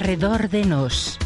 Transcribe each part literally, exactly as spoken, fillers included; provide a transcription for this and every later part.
Arredor de nós.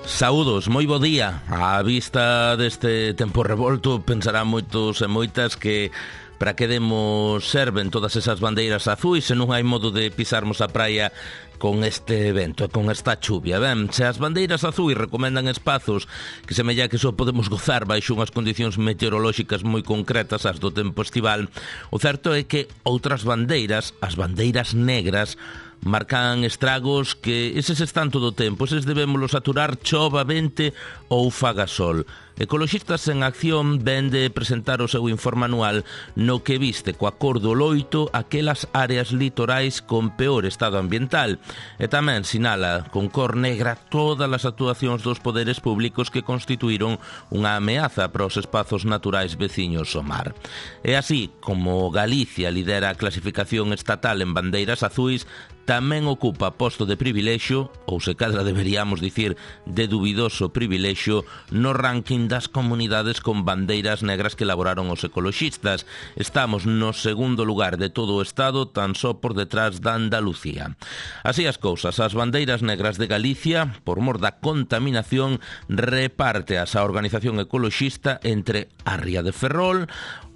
Saúdos, moi bo día. Á vista deste tempo revolto, pensarán moitos e moitas que para que demos serven todas esas bandeiras azuis se non hai modo de pisarmos a praia con este evento, con esta chuvia. Ben, se as bandeiras azuis recomendan espazos que semella que só podemos gozar baixo unhas condicións meteorolóxicas moi concretas, as do tempo estival, o certo é que outras bandeiras, as bandeiras negras, marcan estragos que eses están todo o tempo, eses debémolos aturar chova, vente ou faga sol. Ecoloxistas en Acción ven de presentar o seu informe anual no que viste coa cor do loito aquelas áreas litorais con peor estado ambiental e tamén sinala con cor negra todas as actuacións dos poderes públicos que constituíron unha ameaza para os espazos naturais veciños ao mar. E así como Galicia lidera a clasificación estatal en bandeiras azuis, tamén ocupa posto de privilexio, ou se cadra deberíamos dicir de dubidoso privilexio, no ranking das comunidades con bandeiras negras que elaboraron os ecoloxistas. Estamos no segundo lugar de todo o Estado, tan só por detrás da Andalucía. Así as cousas, as bandeiras negras de Galicia, por mor da contaminación, repárteas a organización ecoloxista entre a Ría de Ferrol,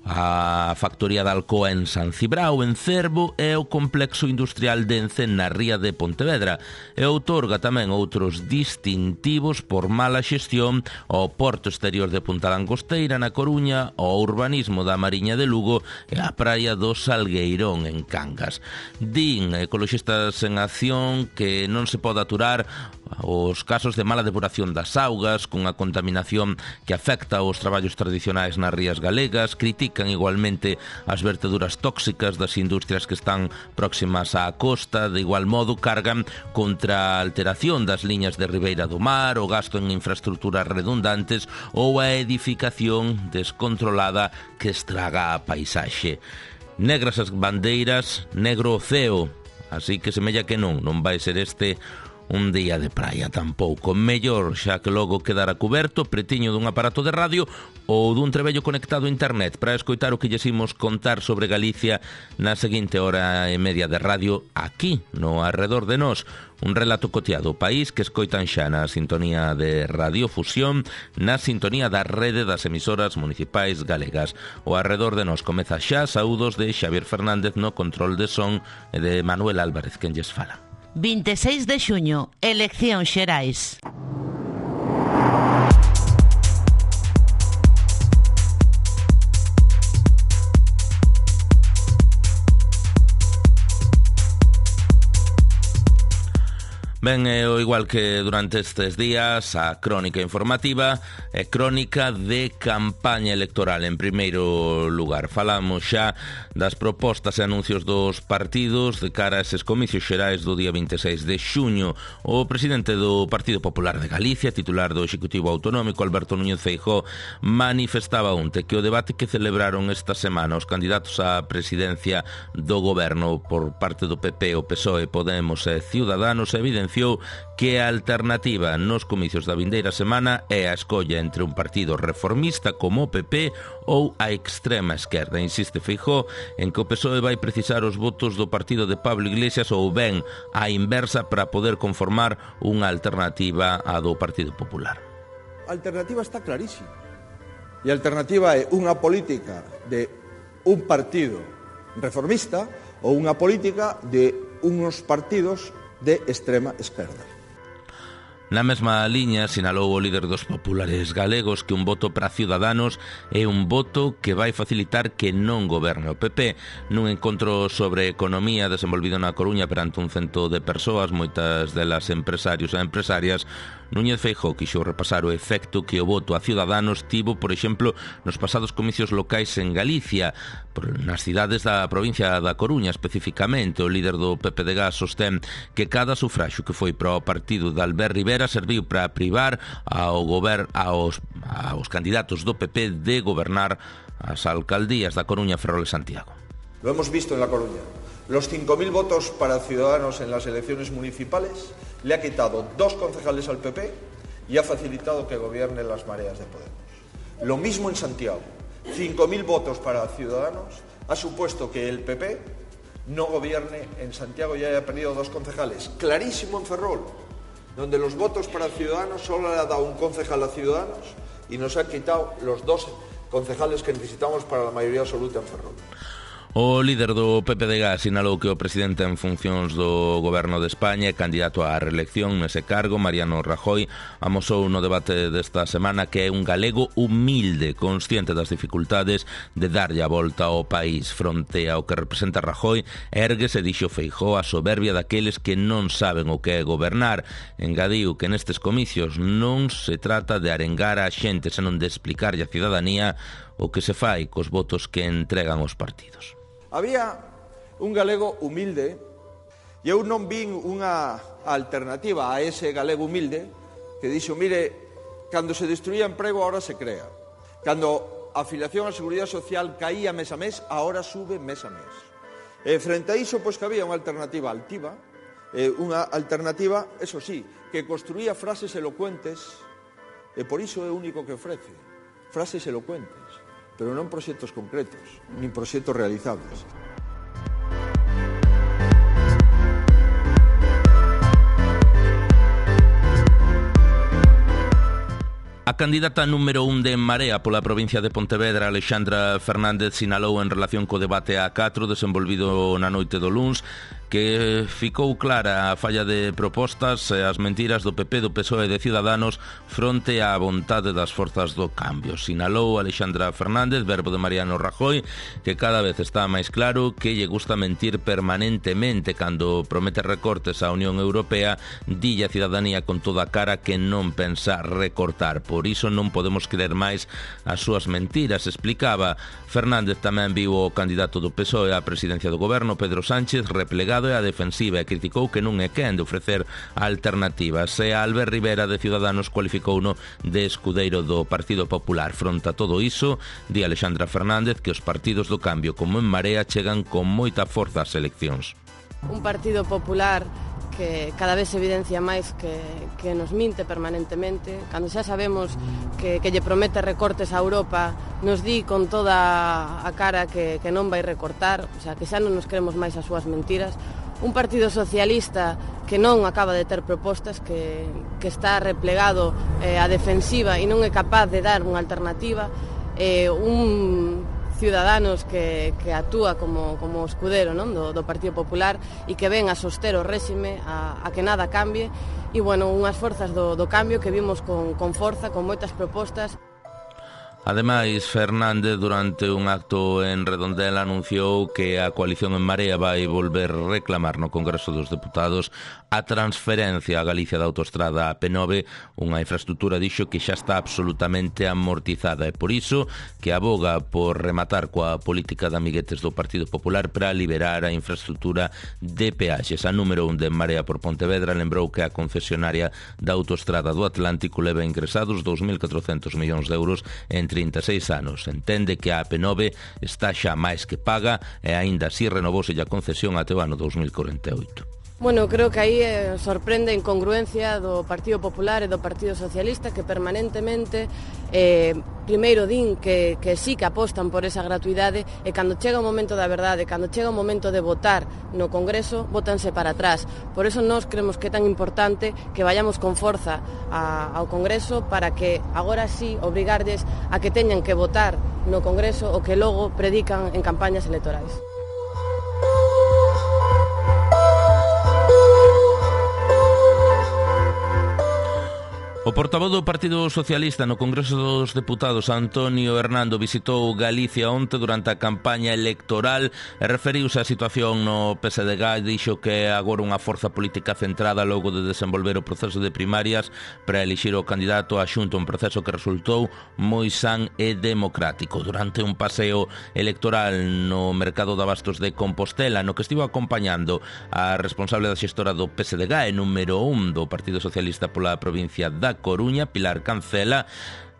a factoría de Alcoa en San Cibrao, en Cervo, e o complexo industrial de Ence na ría de Pontevedra, e outorga tamén outros distintivos por mala xestión ao Porto Exterior de Punta Langosteira na Coruña, ao urbanismo da Mariña de Lugo e á praia do Salgueirón en Cangas. Din ecoloxistas en Acción que non se pode aturar os casos de mala depuración das augas, cunha contaminación que afecta aos traballos tradicionais nas rías galegas, critican igualmente as verteduras tóxicas das industrias que están próximas á costa, de igual modo cargan contra a alteración das liñas de ribeira do mar, o gasto en infraestructuras redundantes ou a edificación descontrolada que estraga a paisaxe. Negras as bandeiras, negro o ceo, así que semella que non, non vai ser este un día de praia tampouco. Mellor xa que logo quedara cuberto pretiño dun aparato de radio ou dun trebello conectado a internet para escoitar o que lles imos contar sobre Galicia na seguinte hora e media de radio aquí, no Arredor de Nós. Un relato coteado, o país que escoitan xa na sintonía de Radiofusión, na sintonía da rede das emisoras municipais galegas. O Arredor de Nós comeza xa. Saúdos de Xavier Fernández no control de son e de Manuel Álvarez, quen lles fala. vinte e seis de xuño, eleccións xerais. Ben, é o igual que durante estes días, a crónica informativa é crónica de campaña electoral. En primeiro lugar, falamos xa das propostas e anuncios dos partidos de cara a eses comicios xerais do día vinte e seis de xuño. O presidente do Partido Popular de Galicia, titular do Executivo Autonómico, Alberto Núñez Feijóo, manifestaba onte que o debate que celebraron esta semana os candidatos á presidencia do goberno por parte do P P, o P S O E, Podemos e Ciudadanos evidenciou que a alternativa nos comicios da vindeira semana é a escolla entre un partido reformista como o P P ou a extrema esquerda. Insiste Feijóo en que o P S O E vai precisar os votos do partido de Pablo Iglesias ou ben a inversa para poder conformar unha alternativa á do Partido Popular. A alternativa está clarísima. E a alternativa é unha política de un partido reformista ou unha política de unos partidos de extrema esquerda. Na mesma liña, sinalou o líder dos populares galegos que un voto para Ciudadanos é un voto que vai facilitar que non goberne o P P. Nun encontro sobre economía desenvolvido na Coruña perante un cento de persoas, moitas delas empresarios e empresarias, Núñez Feijóo quixo repasar o efecto que o voto a Ciudadanos tivo, por exemplo, nos pasados comicios locais en Galicia, nas cidades da provincia da Coruña especificamente. O líder do P P de Gas sostén que cada sufraxo que foi para o partido de Albert Rivera serviu para privar ao gober, aos, aos candidatos do P P de gobernar as alcaldías da Coruña, Ferrol e Santiago. Lo hemos visto en La Coruña. los cinco mil votos para Ciudadanos en las elecciones municipales, le ha quitado dos concejales al P P y ha facilitado que gobierne las mareas de Podemos. Lo mismo en Santiago. cinco mil votos para Ciudadanos ha supuesto que el P P no gobierne en Santiago y haya perdido dos concejales. Clarísimo en Ferrol, donde los votos para Ciudadanos solo le ha dado un concejal a Ciudadanos y nos ha quitado los dos concejales que necesitamos para la mayoría absoluta en Ferrol. O líder do P P D G sinalou que o presidente en funcións do Goberno de España e candidato á reelección nese cargo, Mariano Rajoy, amosou no debate desta semana que é un galego humilde, consciente das dificultades de darlle a volta ao país. Fronte ao que representa Rajoy, érguese, dixo Feijóo, a soberbia daqueles que non saben o que é gobernar. Engadiu que nestes comicios non se trata de arengar a xente, senón de explicarlle á cidadanía o que se fai cos votos que entregan os partidos. Había un galego humilde e eu non vin unha alternativa a ese galego humilde que dixo, mire, cando se destruía emprego, ahora se crea. Cando a afiliación á Seguridade Social caía mes a mes, ahora sube mes a mes. E frente a iso, pois que había unha alternativa altiva, eh, unha alternativa, eso sí, que construía frases elocuentes, e por iso é o único que ofrece, frases elocuentes, pero non proxectos concretos, nin proxectos realizables. A candidata número un de En Marea pola provincia de Pontevedra, Alexandra Fernández, sinalou en relación co debate A catro desenvolvido na noite do luns que ficou clara a falla de propostas e as mentiras do P P, do P S O E e de Ciudadanos fronte á vontade das forzas do cambio. Sinalou Alexandra Fernández, verbo de Mariano Rajoy, que cada vez está máis claro que lle gusta mentir permanentemente. Cando promete recortes á Unión Europea, dille a cidadanía con toda a cara que non pensa recortar. Por iso non podemos creer máis as súas mentiras, explicaba. Fernández tamén viu o candidato do P S O E á presidencia do goberno, Pedro Sánchez, replegado e a defensiva, e criticou que non é quen de ofrecer alternativas. E Albert Rivera de Ciudadanos cualificouno de escudeiro do Partido Popular. Fronte a todo iso, di Alexandra Fernández que os partidos do cambio como En Marea chegan con moita forza ás eleccións. Un Partido Popular que cada vez se evidencia máis que, que nos minte permanentemente, cando xa sabemos que, que lle promete recortes a Europa, nos di con toda a cara que, que non vai recortar, o sea, que xa non nos creemos máis as súas mentiras. Un Partido Socialista que non acaba de ter propostas, que, que está replegado eh, a defensiva e non é capaz de dar unha alternativa, eh, un Ciudadanos que, que actúa como, como escudero, non? Do, do Partido Popular e que ven a soster o réxime, a, a que nada cambie, e, bueno, unhas forzas do, do cambio que vimos con, con forza, con moitas propostas. Ademais, Fernández, durante un acto en Redondela, anunciou que a coalición En Marea vai volver reclamar no Congreso dos Deputados a transferencia a Galicia da autoestrada A P nove, unha infraestructura, dixo, que xa está absolutamente amortizada, e por iso que aboga por rematar coa política de amiguetes do Partido Popular para liberar a infraestructura de peaxes. A número un de En Marea por Pontevedra lembrou que a concesionaria da autoestrada do Atlántico leva ingresados dous mil catrocentos millóns de euros entre trinta e seis anos. Entende que a A P nove está xa máis que paga e aínda así renovouse a concesión até o ano dos mil corenta e oito. Bueno, creo que aí eh, sorprende a incongruencia do Partido Popular e do Partido Socialista, que permanentemente eh, primeiro din que, que sí que apostan por esa gratuidade, e cando chega o momento da verdade, cando chega o momento de votar no Congreso, votanse para atrás. Por eso nós creemos que é tan importante que vayamos con forza a, ao Congreso, para que agora sí obrigarlles a que teñan que votar no Congreso o que logo predican en campañas electorais. O portavoz do Partido Socialista no Congreso dos Deputados, Antonio Hernando, visitou Galicia onte durante a campaña electoral e referiuse á situación no P S D G. Dixo que é agora unha forza política centrada logo de desenvolver o proceso de primarias para elixir o candidato a Xunta, un proceso que resultou moi san e democrático. Durante un paseo electoral no mercado de abastos de Compostela, no que estivo acompañando a responsable da xestora do P S D G e número un do Partido Socialista pola provincia da Coruña, Pilar Cancela,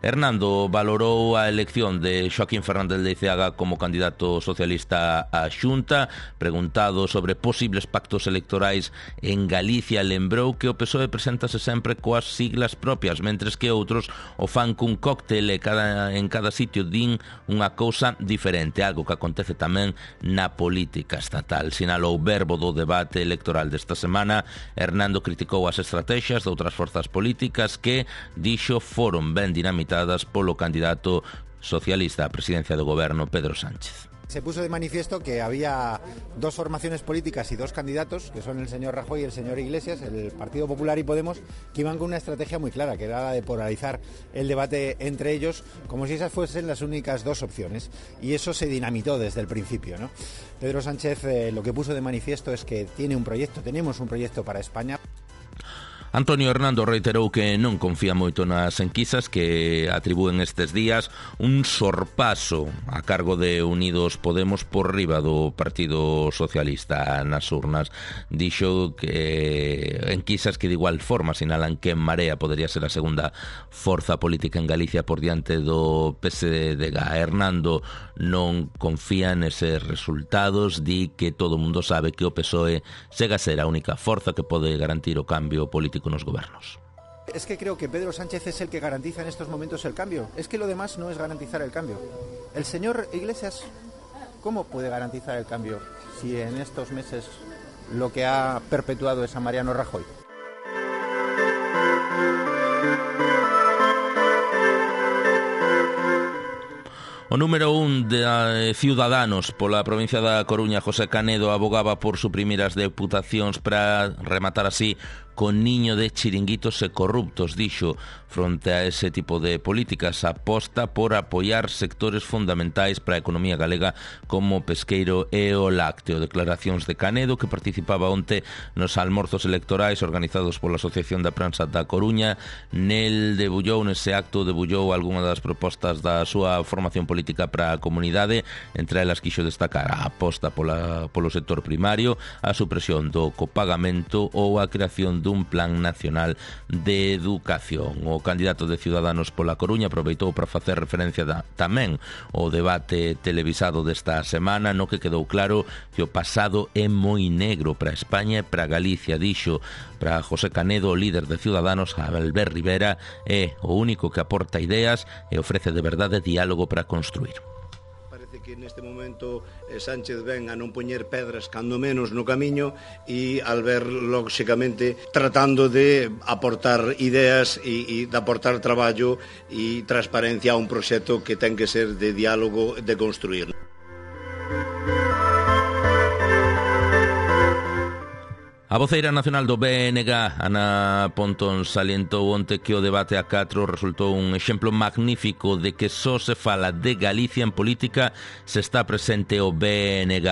Hernando valorou a elección de Xoaquín Fernández Leiceaga como candidato socialista á Xunta. Preguntado sobre posibles pactos electorais en Galicia, lembrou que o P S O E preséntase sempre coas siglas propias, mentres que outros o fan cun cóctel e cada, en cada sitio din unha cousa diferente, algo que acontece tamén na política estatal. Sinalou verbo do debate electoral desta semana. Hernando criticou as estrategias de outras forzas políticas que, dixo, foron ben dinamitadas polo candidato socialista á presidencia do goberno, Pedro Sánchez. Se puso de manifiesto que había dos formaciones políticas y dos candidatos, que son el señor Rajoy y el señor Iglesias, el Partido Popular y Podemos, que iban con una estrategia muy clara, que era la de polarizar el debate entre ellos, como si esas fuesen las únicas dos opciones. Y eso se dinamitó desde el principio, ¿no? Pedro Sánchez eh, lo que puso de manifiesto es que tiene un proyecto, tenemos un proyecto para España. Antonio Hernando reiterou que non confía moito nas enquisas que atribúen estes días un sorpaso a cargo de Unidos Podemos por riba do Partido Socialista nas urnas. Dixo que enquisas que de igual forma sinalan que En Marea podería ser a segunda forza política en Galicia por diante do P S D G. Hernando non confía neses resultados, di que todo o mundo sabe que o P S O E chega a ser a única forza que pode garantir o cambio político nos gobernos. Es que creo que Pedro Sánchez es el que garantiza en estos momentos el cambio. Es que lo demás no es garantizar el cambio. El señor Iglesias, ¿cómo puede garantizar el cambio si en estos meses lo que ha perpetuado es a Mariano Rajoy? O número un de Ciudadanos pola provincia da Coruña, José Canedo, abogaba por suprimir as deputacións para rematar así con niño de chiringuitos e corruptos. Dixo, fronte a ese tipo de políticas, aposta por apoiar sectores fundamentais para a economía galega como o pesqueiro e o lácteo. Declaracións de Canedo, que participaba onte nos almorzos electorais organizados pola Asociación da Prensa da Coruña. Nel debullou, nese acto, debullou algunha das propostas da súa formación política para a comunidade. Entre elas quixo destacar a aposta pola, polo sector primario, a supresión do copagamento ou a creación dun plan nacional de educación. O candidato de Ciudadanos pola Coruña aproveitou para facer referencia da, tamén ao debate televisado desta semana, no que quedou claro que o pasado é moi negro para España e para Galicia. Dixo para José Canedo, o líder de Ciudadanos, Albert Rivera, é o único que aporta ideas e ofrece de verdade diálogo para construir. Que neste momento eh, Sánchez ven a non poñer pedras cando menos no camiño e al ver, lóxicamente, tratando de aportar ideas e, e de aportar traballo e transparencia a un proxecto que ten que ser de diálogo, de construir. A voceira nacional do B N G, Ana Pontón, salientou onte que o debate a catro resultou un exemplo magnífico de que só se fala de Galicia en política se está presente o B N G.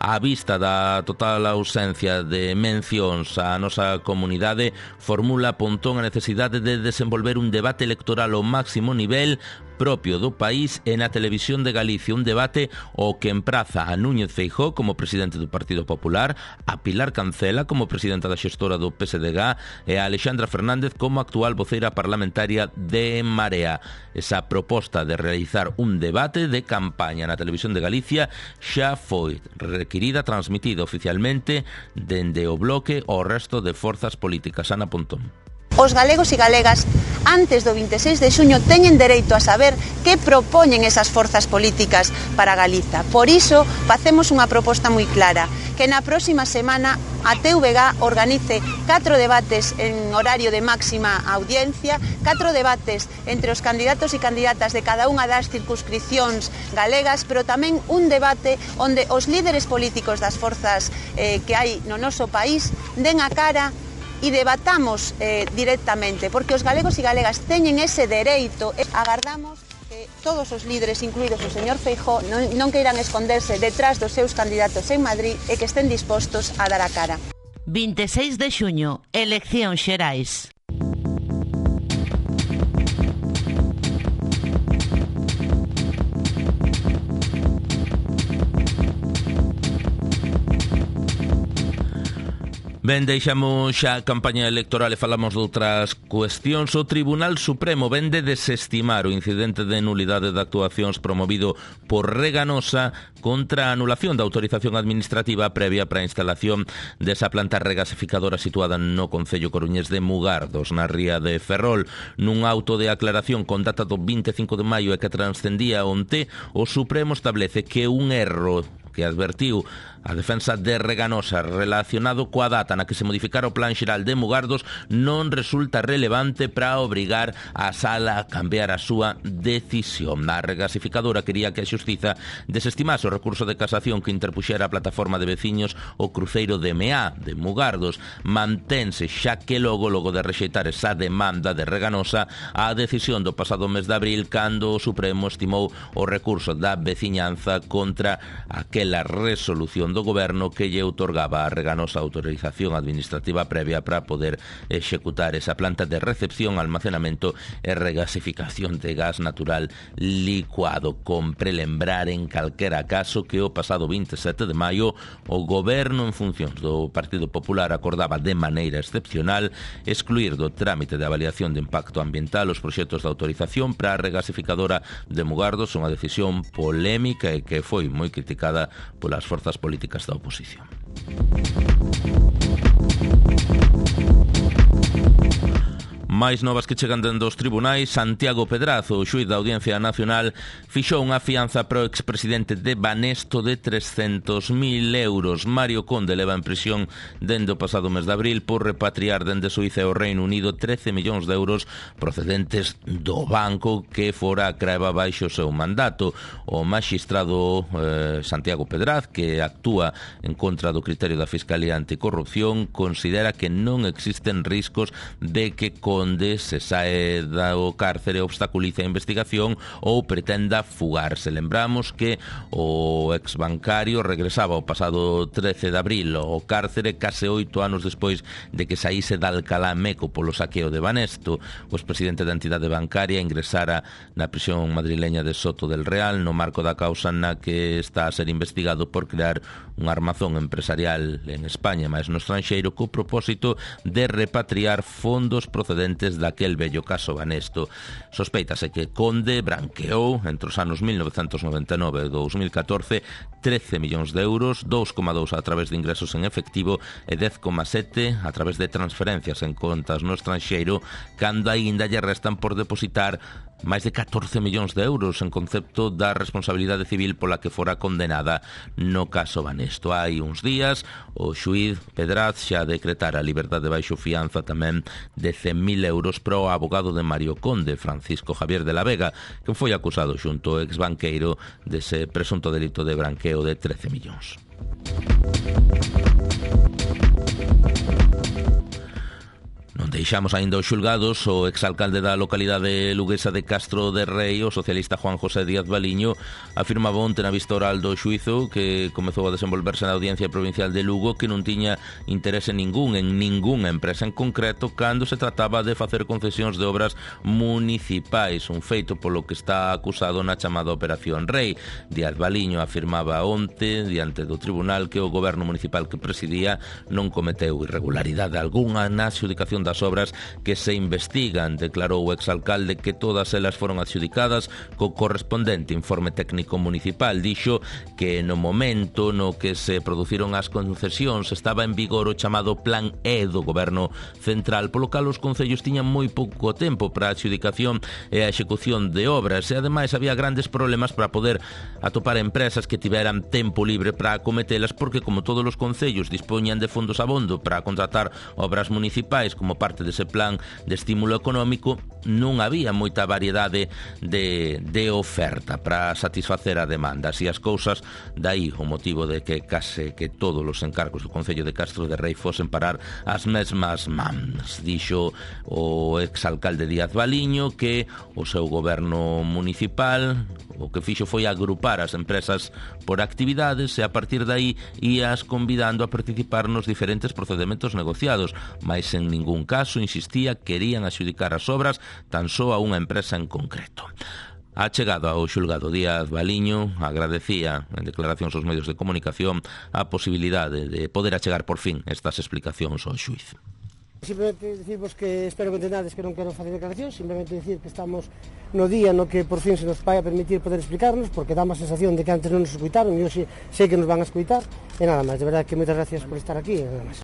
Á vista da total ausencia de mencións á nosa comunidade, formula Pontón a necesidade de desenvolver un debate electoral ao máximo nivel propio do país e na televisión de Galicia, un debate o que empraza a Núñez Feijóo como presidente do Partido Popular, a Pilar Cancela como presidenta da xestora do P S D G e a Alexandra Fernández como actual voceira parlamentaria de En Marea. Esa proposta de realizar un debate de campaña na televisión de Galicia xa foi requirida, transmitida oficialmente dende o bloque ao resto de forzas políticas. Ana Pontón. Os galegos e galegas, antes do vinte e seis de xuño, teñen dereito a saber que propoñen esas forzas políticas para Galiza. Por iso, facemos unha proposta moi clara, que na próxima semana a T V G organice catro debates en horario de máxima audiencia, catro debates entre os candidatos e candidatas de cada unha das circunscripcións galegas, pero tamén un debate onde os líderes políticos das forzas eh, que hai no noso país den a cara e debatamos eh, directamente, porque os galegos e galegas teñen ese dereito. Agardamos que todos os líderes, incluídos o señor Feijóo, non, non queiran esconderse detrás dos seus candidatos en Madrid e que estén dispostos a dar a cara. vinte e seis de xuño, eleccións xerais. Ben, deixamos xa a campaña electoral e falamos de outras cuestións. O Tribunal Supremo ven de desestimar o incidente de nulidade de actuacións promovido por Reganosa contra a anulación da autorización administrativa previa para a instalación desa planta regasificadora situada no concello coruñés de Mugardos, na ría de Ferrol. Nun auto de aclaración con data do vinte e cinco de maio e que transcendía onte, o Supremo establece que un erro que advertiu a defensa de Reganosa relacionado coa data na que se modificara o plan xeral de Mugardos non resulta relevante para obrigar a sala a cambiar a súa decisión. A regasificadora quería que a xustiza desestimase o recurso de casación que interpuxera a plataforma de veciños o cruceiro de M A de Mugardos. Mantense xa que logo, logo de rexeitar esa demanda de Reganosa, a decisión do pasado mes de abril, cando o Supremo estimou o recurso da veciñanza contra aquela resolución do Goberno que lle outorgaba a Reganosa autorización administrativa previa para poder executar esa planta de recepción, almacenamento e regasificación de gas natural licuado. Compre lembrar en calquera caso que o pasado vinte e sete de maio o Goberno en funcións do Partido Popular acordaba de maneira excepcional excluir do trámite de avaliación de impacto ambiental os proxectos de autorización para a regasificadora de Mugardos, unha decisión polémica e que foi moi criticada polas forzas políticas da oposición. Máis novas que chegan dende os tribunais. Santiago Pedrazo, o xuíz da Audiencia Nacional, fixou unha fianza para o expresidente de Banesto de trescentos mil euros. Mario Conde leva en prisión dende o pasado mes de abril por repatriar dende Suiza e o Reino Unido trece millóns de euros procedentes do banco que fora a creba baixo o seu mandato. O magistrado eh, Santiago Pedraz, que actúa en contra do criterio da Fiscalía Anticorrupción, considera que non existen riscos de que Conde se sae do cárcere, obstaculice a investigación ou pretenda fugarse. Lembramos que o exbancario regresaba o pasado trece de abril ao cárcere case oito anos despois de que saíse de Alcalá Meco polo saqueo de Banesto. O expresidente da entidade bancaria ingresara na prisión madrileña de Soto del Real no marco da causa na que está a ser investigado por crear un armazón empresarial en España, máis no estranxeiro, co propósito de repatriar fondos procedentes daquel vello caso Banesto. Sospeitase que Conde branqueou entre os anos mil novecentos noventa e nove e dous mil catorce trece millóns de euros, dous coma dous a través de ingresos en efectivo e dez coma sete a través de transferencias en contas no estranxeiro, cando aínda lle restan por depositar máis de catorce millóns de euros en concepto da responsabilidade civil pola que fora condenada no caso Banesto. Hai uns días o xuíz Pedraz xa decretara a liberdade baixo fianza tamén de cen mil euros para o abogado de Mario Conde, Francisco Javier de la Vega, que foi acusado xunto ao exbanqueiro dese presunto delito de branqueo de trece millóns. Non deixamos aínda os xulgados. O exalcalde da localidade luguesa de Castro de Rei, o socialista Juan José Díaz Baliño, afirmaba onte na vista oral do xuízo que comezou a desenvolverse na Audiencia Provincial de Lugo que non tiña interese ningún en ningunha empresa en concreto cando se trataba de facer concesións de obras municipais, un feito polo que está acusado na chamada Operación Rei. Díaz Baliño afirmaba onte diante do tribunal que o goberno municipal que presidía non cometeu irregularidade algunha na adxudicación das obras que se investigan. Declarou o exalcalde que todas elas foron adxudicadas co correspondente informe técnico municipal. Dixo que no momento no que se produciron as concesións estaba en vigor o chamado Plan E do Goberno Central, polo cal os concellos tiñan moi pouco tempo para a adxudicación e a execución de obras e ademais había grandes problemas para poder atopar empresas que tiveran tempo libre para acometelas, porque como todos os concellos dispoñan de fondos abondo para contratar obras municipais como parte dese plan de estímulo económico, non había moita variedade de, de oferta para satisfacer a demanda. Así as cousas, dai o motivo de que case que todos os encargos do Concello de Castro de Rei fosen parar as mesmas mans. Dixo o exalcalde Díaz Baliño que o seu goberno municipal o que fixo foi agrupar as empresas por actividades e a partir de aí ías convidando a participar nos diferentes procedementos negociados, mas en ningún caso, insistía, querían adxudicar as obras tan só a unha empresa en concreto. A chegada ao xulgado, Díaz Baliño agradecía en declaracións aos medios de comunicación a posibilidade de poder achegar por fin estas explicacións ao xuíz. Simplemente decirvos que espero que entendades que non quero facer declaracións, simplemente decir que estamos no día no que por fin se nos vai a permitir poder explicarnos, porque dá má sensación de que antes non nos escuitaron e hoxe sei que nos van a escuitar, e nada máis, de verdade que moitas gracias por estar aquí e nada máis.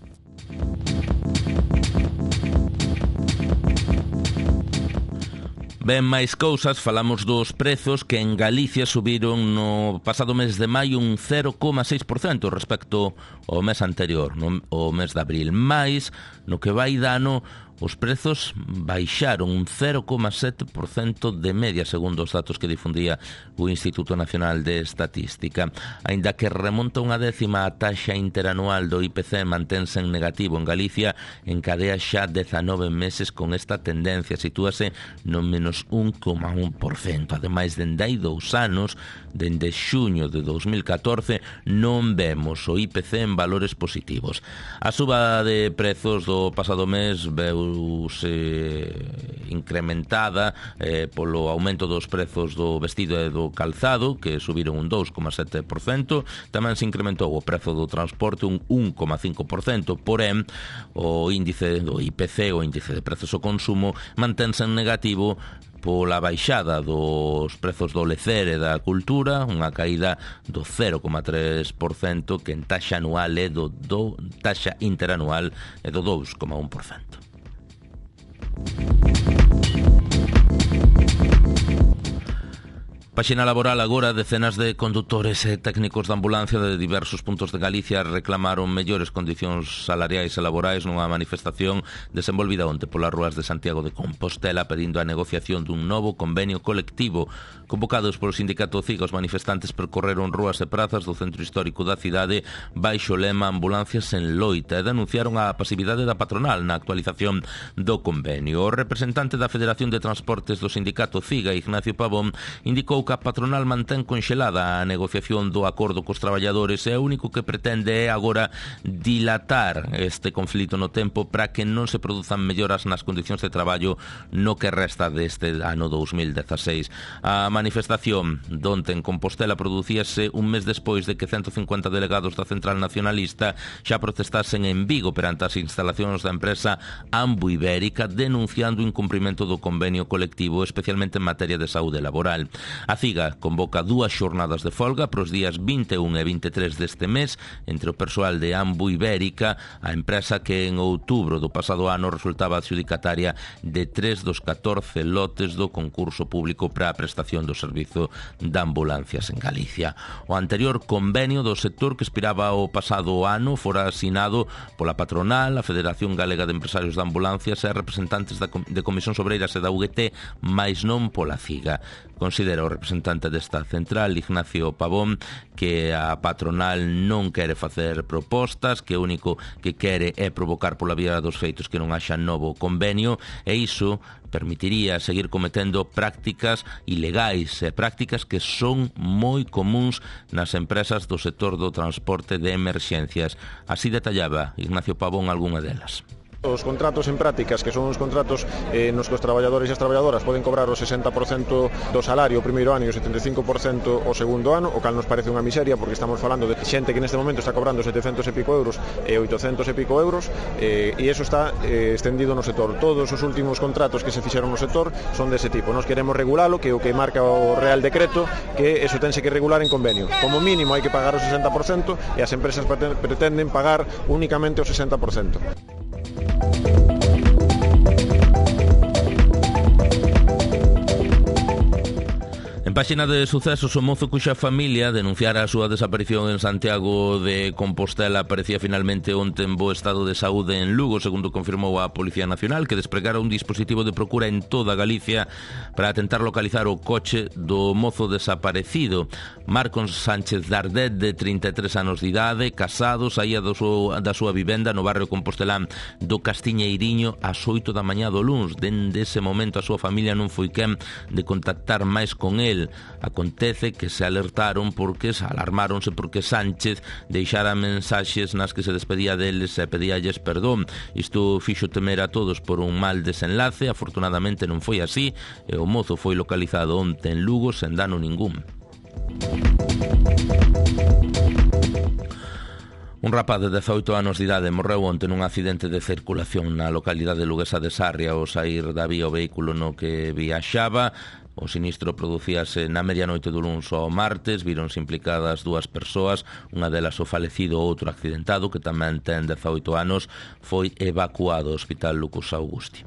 Ben, máis cousas, falamos dos prezos que en Galicia subiron no pasado mes de maio un cero coma seis por cento respecto ao mes anterior, no, o mes de abril. Mais, no que vai de ano, os prezos baixaron un cero coma sete por cento de media, segundo os datos que difundía o Instituto Nacional de Estatística. Aínda que remonta unha décima a taxa interanual do I P C mantense en negativo en Galicia, encadea xa dezanove meses con esta tendencia, sitúase no menos un coma un por cento. Ademais, dende hai dous anos, dende xuño de dos mil catorce, non vemos o I P C en valores positivos. A suba de prezos do pasado mes veu incrementada eh, polo aumento dos prezos do vestido e do calzado, que subiron un dous coma sete por cento. Tamén se incrementou o prezo do transporte un un coma cinco por cento. Porén, o índice do I P C, o índice de prezos ao consumo, mantense en negativo pola baixada dos prezos do lecer e da cultura, unha caída do cero coma tres por cento, que en taxa anual é do, do taxa interanual é do dous coma un por cento. Páxina laboral agora, decenas de condutores e técnicos de ambulancia de diversos puntos de Galicia reclamaron mellores condicións salariais e laborais nunha manifestación desenvolvida onte polas rúas de Santiago de Compostela pedindo a negociación dun novo convenio colectivo. Convocados polo sindicato CIGA, os manifestantes percorreron rúas e prazas do centro histórico da cidade baixo o lema Ambulancias en loita e denunciaron a pasividade da patronal na actualización do convenio. O representante da Federación de Transportes do sindicato CIGA, Ignacio Pavón, indicou que a patronal mantén conxelada a negociación do acordo cos traballadores e o único que pretende é agora dilatar este conflito no tempo para que non se produzan melloras nas condicións de traballo no que resta deste ano dos mil dieciséis. A manifestación donte en Compostela producíase un mes despois de que ciento cincuenta delegados da Central Nacionalista xa protestasen en Vigo perante as instalacións da empresa Ambu Ibérica denunciando o incumprimento do convenio colectivo, especialmente en materia de saúde laboral. A CIGA convoca dúas xornadas de folga para os días vinte e un e vinte e tres deste mes entre o persoal de Ambu Ibérica, a empresa que en outubro do pasado ano resultaba adxudicataria de tres dos catorce lotes do concurso público para a prestación do servizo de ambulancias en Galicia. O anterior convenio do sector que expiraba o pasado ano fora asinado pola patronal, a Federación Galega de Empresarios de Ambulancias e representantes de Comisións Obreiras e da U G T, mais non pola CIGA. Considera o representante desta central, Ignacio Pavón, que a patronal non quere facer propostas, que o único que quere é provocar pola vía dos feitos que non haxa novo convenio, e iso permitiría seguir cometendo prácticas ilegais e prácticas que son moi comuns nas empresas do sector do transporte de emerxencias. Así detallaba Ignacio Pavón algunha delas. Os contratos en prácticas, que son os contratos eh, nos que os traballadores e as traballadoras poden cobrar o sesenta por cento do salario o primeiro ano e o setenta e cinco por cento o segundo ano, o cal nos parece unha miseria porque estamos falando de xente que neste momento está cobrando setecentos e pico euros e oitocentos e pico euros eh, e iso está eh, extendido no sector. Todos os últimos contratos que se fixeron no sector son dese tipo. Nos queremos regulalo, que é o que marca o Real Decreto, que eso tense que regular en convenio. Como mínimo hai que pagar o sesenta por cento e as empresas pretenden pagar únicamente o sesenta por cento. En páxina de sucesos, o mozo cuxa familia denunciara a súa desaparición en Santiago de Compostela aparecía finalmente onte en bo estado de saúde en Lugo, segundo confirmou a Policía Nacional, que despregara un dispositivo de procura en toda Galicia para tentar localizar o coche do mozo desaparecido. Marcos Sánchez Dardet, de trinta e tres anos de idade, casado, saía do súa, da súa vivenda no barrio compostelán do Castiñeiriño ás oito da mañá do luns. Dende ese momento a súa familia non foi quen de contactar máis con el. el. Acontece que se alertaron porque se alarmáronse porque Sánchez deixara mensaxes nas que se despedía deles e pedíalles perdón. Isto fixo temer a todos por un mal desenlace. Afortunadamente non foi así e o mozo foi localizado onte en Lugo sen dano ningún. Un rapaz de dezoito anos de idade morreu onte nun accidente de circulación na localidade luguesa de Sarria ao saír da vía o vehículo no que viaxaba. O sinistro producíase na medianoite do luns ao martes. Víronse implicadas dúas persoas, unha delas o falecido, outro accidentado que tamén ten dezoito anos, foi evacuado ao Hospital Lucas Augusti.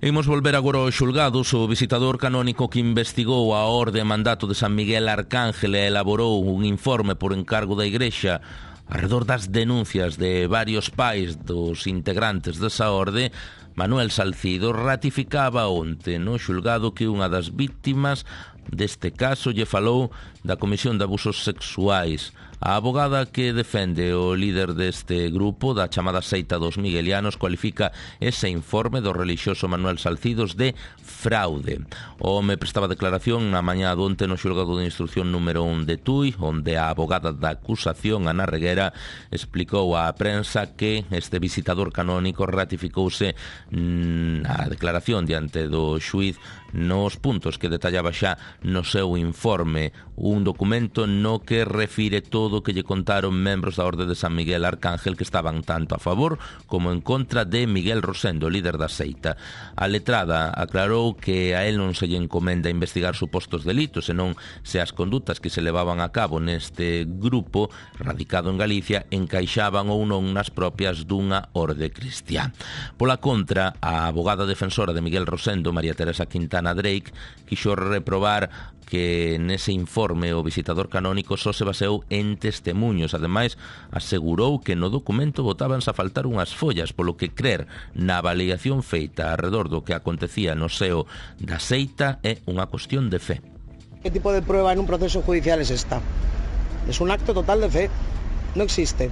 Imos volver agora aos xulgados. O visitador canónico que investigou a orde e mandato de San Miguel Arcángel e elaborou un informe por encargo da Igrexa arredor das denuncias de varios pais dos integrantes desa orde, Manuel Salcido, ratificaba onte no xulgado que unha das vítimas deste caso lle falou da Comisión de Abusos Sexuais. A abogada que defende o líder deste grupo, da chamada seita dos miguelianos, cualifica ese informe do relixioso Manuel Salcidos de fraude. O home prestaba declaración na mañá donte no xulgado de instrucción número un de Tui, onde a abogada da acusación, Ana Reguera, explicou á prensa que este visitador canónico ratificouse na declaración diante do xuíz nos puntos que detallaba xa no seu informe, un documento no que refire todo o que lle contaron membros da Orde de San Miguel Arcángel que estaban tanto a favor como en contra de Miguel Rosendo, líder da seita. A letrada aclarou que a él non se lle encomenda investigar supostos delitos, senón se as condutas que se levaban a cabo neste grupo radicado en Galicia encaixaban ou non nas propias dunha orde cristiá. Pola contra, a abogada defensora de Miguel Rosendo, María Teresa Quintana Drake, quixo reprobar que nese informe o visitador canónico só se baseou en testemunhos. Ademais, asegurou que no documento botábanse a faltar unhas follas, polo que crer na avaliación feita arredor do que acontecía no seo da seita é unha cuestión de fe. ¿Qué tipo de prueba en un proceso judicial es esta? Es un acto total de fe, no existe.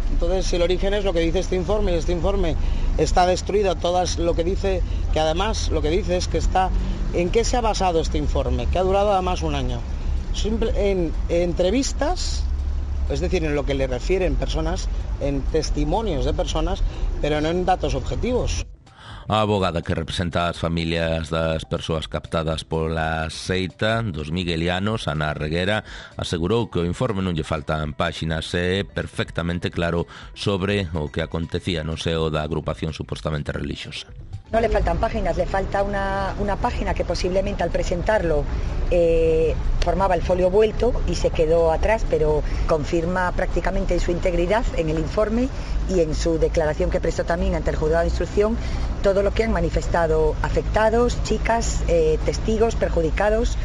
Entonces, si el origen es lo que dice este informe, y este informe está destruido, todas lo que dice, que además lo que dice es que está, ¿en qué se ha basado este informe? Que ha durado además un año. Simple, en, en entrevistas, es decir, en lo que le refieren personas, en testimonios de personas, pero no en datos objetivos. A abogada que representa as familias das persoas captadas pola seita dos miguelianos, Ana Reguera, asegurou que o informe non lle faltan páxinas e é perfectamente claro sobre o que acontecía no seo da agrupación supostamente religiosa. No le faltan páginas, le falta una, una página que posiblemente al presentarlo eh, formaba el folio vuelto y se quedó atrás, pero confirma prácticamente su integridad en el informe y en su declaración que prestó también ante el juzgado de instrucción todo lo que han manifestado afectados, chicas, eh, testigos, perjudicados.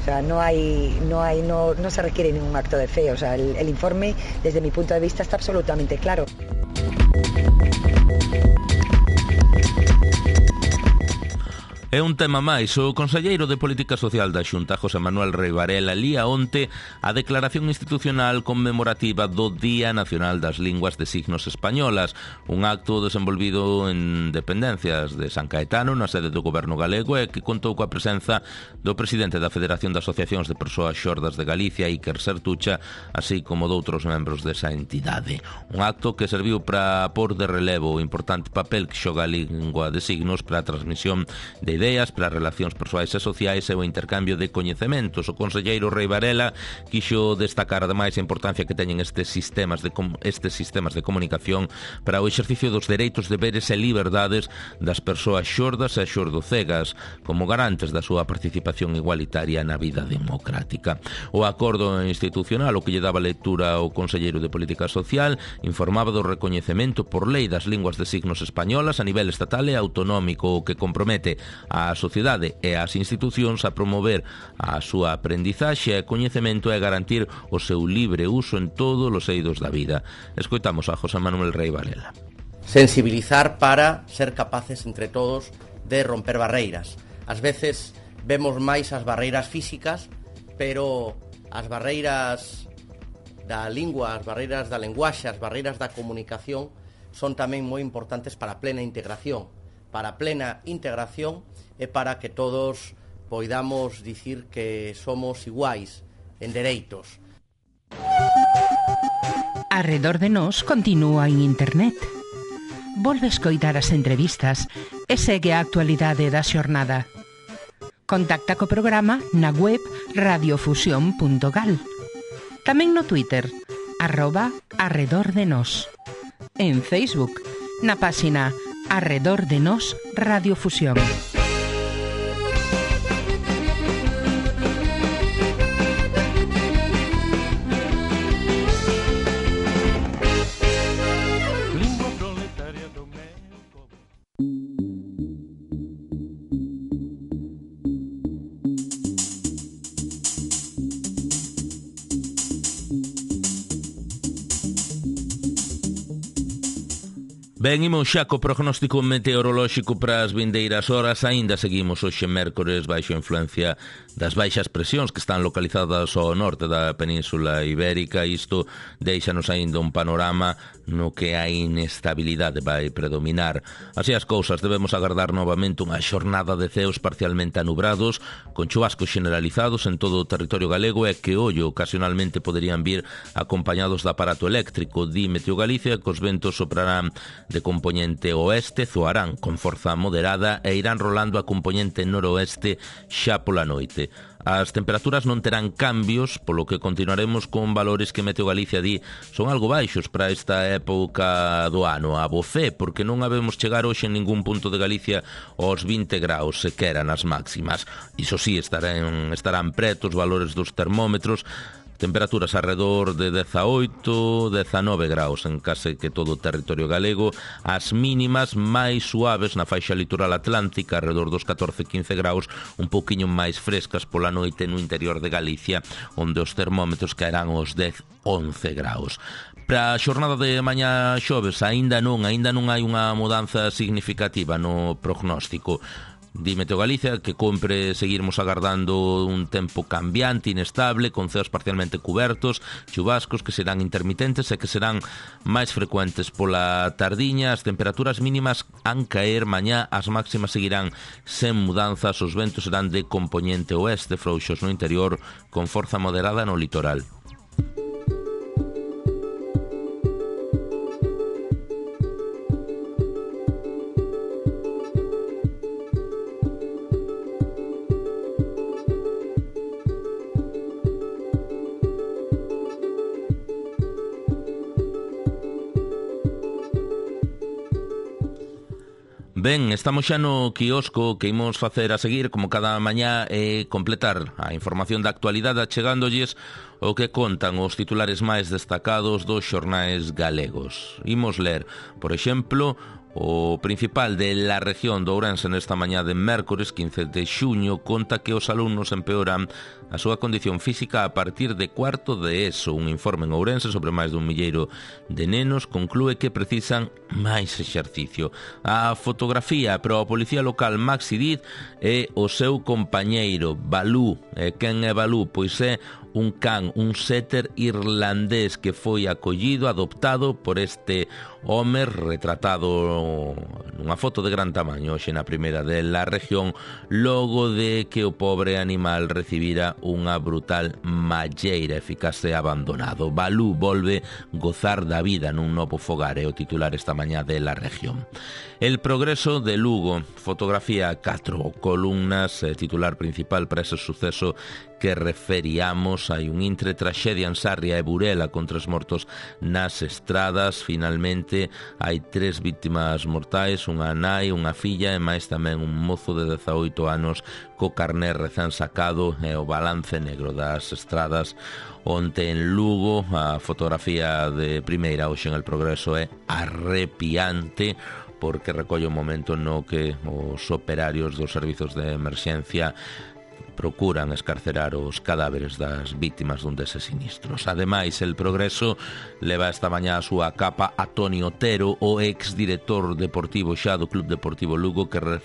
O sea, no hay, no hay, no, no se requiere ningún acto de fe. O sea, el, el informe, desde mi punto de vista, está absolutamente claro. É un tema máis. O conselleiro de Política Social da Xunta, José Manuel Rei Varela, lía onte a declaración institucional conmemorativa do Día Nacional das Linguas de Signos Españolas, un acto desenvolvido en dependencias de San Caetano, na sede do Goberno galego, e que contou coa presenza do presidente da Federación de Asociacións de Persoas Xordas de Galicia, Iker Sertucha, así como doutros membros desa entidade. Un acto que serviu para pôr de relevo o importante papel que xoga a lingua de signos para a transmisión de ideas, para as relacións persoais e sociais e o intercambio de coñecementos. O conselleiro Rei Varela quixo destacar ademais a importancia que teñen estes sistemas de estes sistemas de comunicación para o exercicio dos dereitos, deberes e liberdades das persoas xordas e xordocegas como garantes da súa participación igualitaria na vida democrática. O acordo institucional, o que lle daba lectura ao conselleiro de Política Social, informaba do recoñecemento por lei das linguas de signos españolas a nivel estatal e autonómico, o que compromete a sociedade e as institucións a promover a súa aprendizaxe e coñecemento e garantir o seu libre uso en todos os eidos da vida. Escoitamos a José Manuel Rei Varela. Sensibilizar para ser capaces entre todos de romper barreiras. Ás veces vemos máis as barreiras físicas, pero as barreiras da lingua, as barreiras da lenguaxe, as barreiras da comunicación son tamén moi importantes para a plena integración, para a plena integración e para que todos poidamos dicir que somos iguais en dereitos. Arredor de nós continúa en internet. Volve escoitar as entrevistas e segue a actualidade da xornada. Contacta co programa na web radiofusión punto gal. Tamén no Twitter, arroba Arredor de Nós. En Facebook, na páxina Arredor de Nós Radiofusión. Ben, imos xa co prognóstico meteorolóxico para as vindeiras horas. Aínda seguimos hoxe mércores baixo influencia das baixas presións que están localizadas ao norte da Península Ibérica. Isto deixanos aínda un panorama no que a inestabilidade vai predominar. Así as cousas, debemos agardar novamente unha xornada de ceos parcialmente anubrados, con chubascos generalizados en todo o territorio galego e que, ollo, ocasionalmente poderían vir acompañados de aparato eléctrico. Di Meteo Galicia que os ventos soprarán de compoñente oeste, zoarán con forza moderada e irán rolando a compoñente noroeste xa pola noite. As temperaturas non terán cambios, polo que continuaremos con valores que Meteo Galicia di son algo baixos para esta época do ano. A bo fe, porque non habemos chegar hoxe en ningún punto de Galicia aos vinte graus, sequera nas máximas. Iso sí, estarán, estarán pretos valores dos termómetros, temperaturas alrededor de dezaoito, dezanove graus en case que todo o territorio galego. As mínimas máis suaves na faixa litoral atlántica, alrededor dos catorce, quince graus, un pouquiño máis frescas pola noite no interior de Galicia, onde os termómetros caerán aos dez, once graus. Para a xornada de mañá xoves, aínda non, aínda non hai unha mudanza significativa no prognóstico. Di Meteo Galicia que compre seguirmos agardando un tempo cambiante, inestable, con ceos parcialmente cubertos, chubascos que serán intermitentes e que serán máis frecuentes pola tardiña. As temperaturas mínimas han caer mañá, as máximas seguirán sen mudanzas, os ventos serán de compoñente oeste, frouxos no interior, con forza moderada no litoral. Ben, estamos xa no quiosco que imos facer a seguir, como cada mañá, e completar a información da actualidade achegándolles o que contan os titulares máis destacados dos xornais galegos. Imos ler, por exemplo, o principal de La Región de Ourense nesta mañá de mércores quince de xuño conta que os alumnos empeoran a súa condición física a partir de cuarto de ESO. Un informe en Ourense sobre máis dun milleiro de nenos conclúe que precisan máis exercicio. A fotografía para a policía local Maxi Diz é o seu compañeiro Balú. E quen é Balú? Pois é un can, un setter irlandés que foi acollido, adoptado por este home retratado nunha foto de gran tamaño hoxe na primeira de La Región, logo de que o pobre animal recibira unha brutal malleira e ficase abandonado. Balú volve gozar da vida nun novo fogar, é o titular esta mañá de La Región. El progreso de Lugo, fotografía catro columnas, titular principal para ese suceso que referíamos. Hai un intre traxedia en Sarria e Burela con tres mortos nas estradas. Finalmente hai tres vítimas mortais, unha nai, unha filla e máis tamén un mozo de dezaoito anos co carné recén sacado. E o balance negro das estradas onte en Lugo. A fotografía de primeira hoxe en El Progreso é arrepiante, porque recolle o momento no que os operarios dos servizos de emerxencia procuran escarcerar os cadáveres das vítimas dun deses sinistros. Ademais, El Progreso leva esta mañá a súa capa a Toni Otero, o exdirector deportivo xa do Club Deportivo Lugo, que re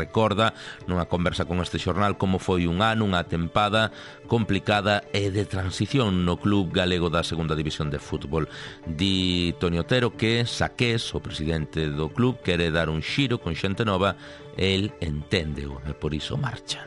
recorda nunha conversa con este xornal como foi un ano, unha tempada complicada e de transición no club galego da segunda división de fútbol. Di Toni Otero que Saqués, o presidente do club, quere dar un xiro con xente nova, el enténdeo e por iso marcha.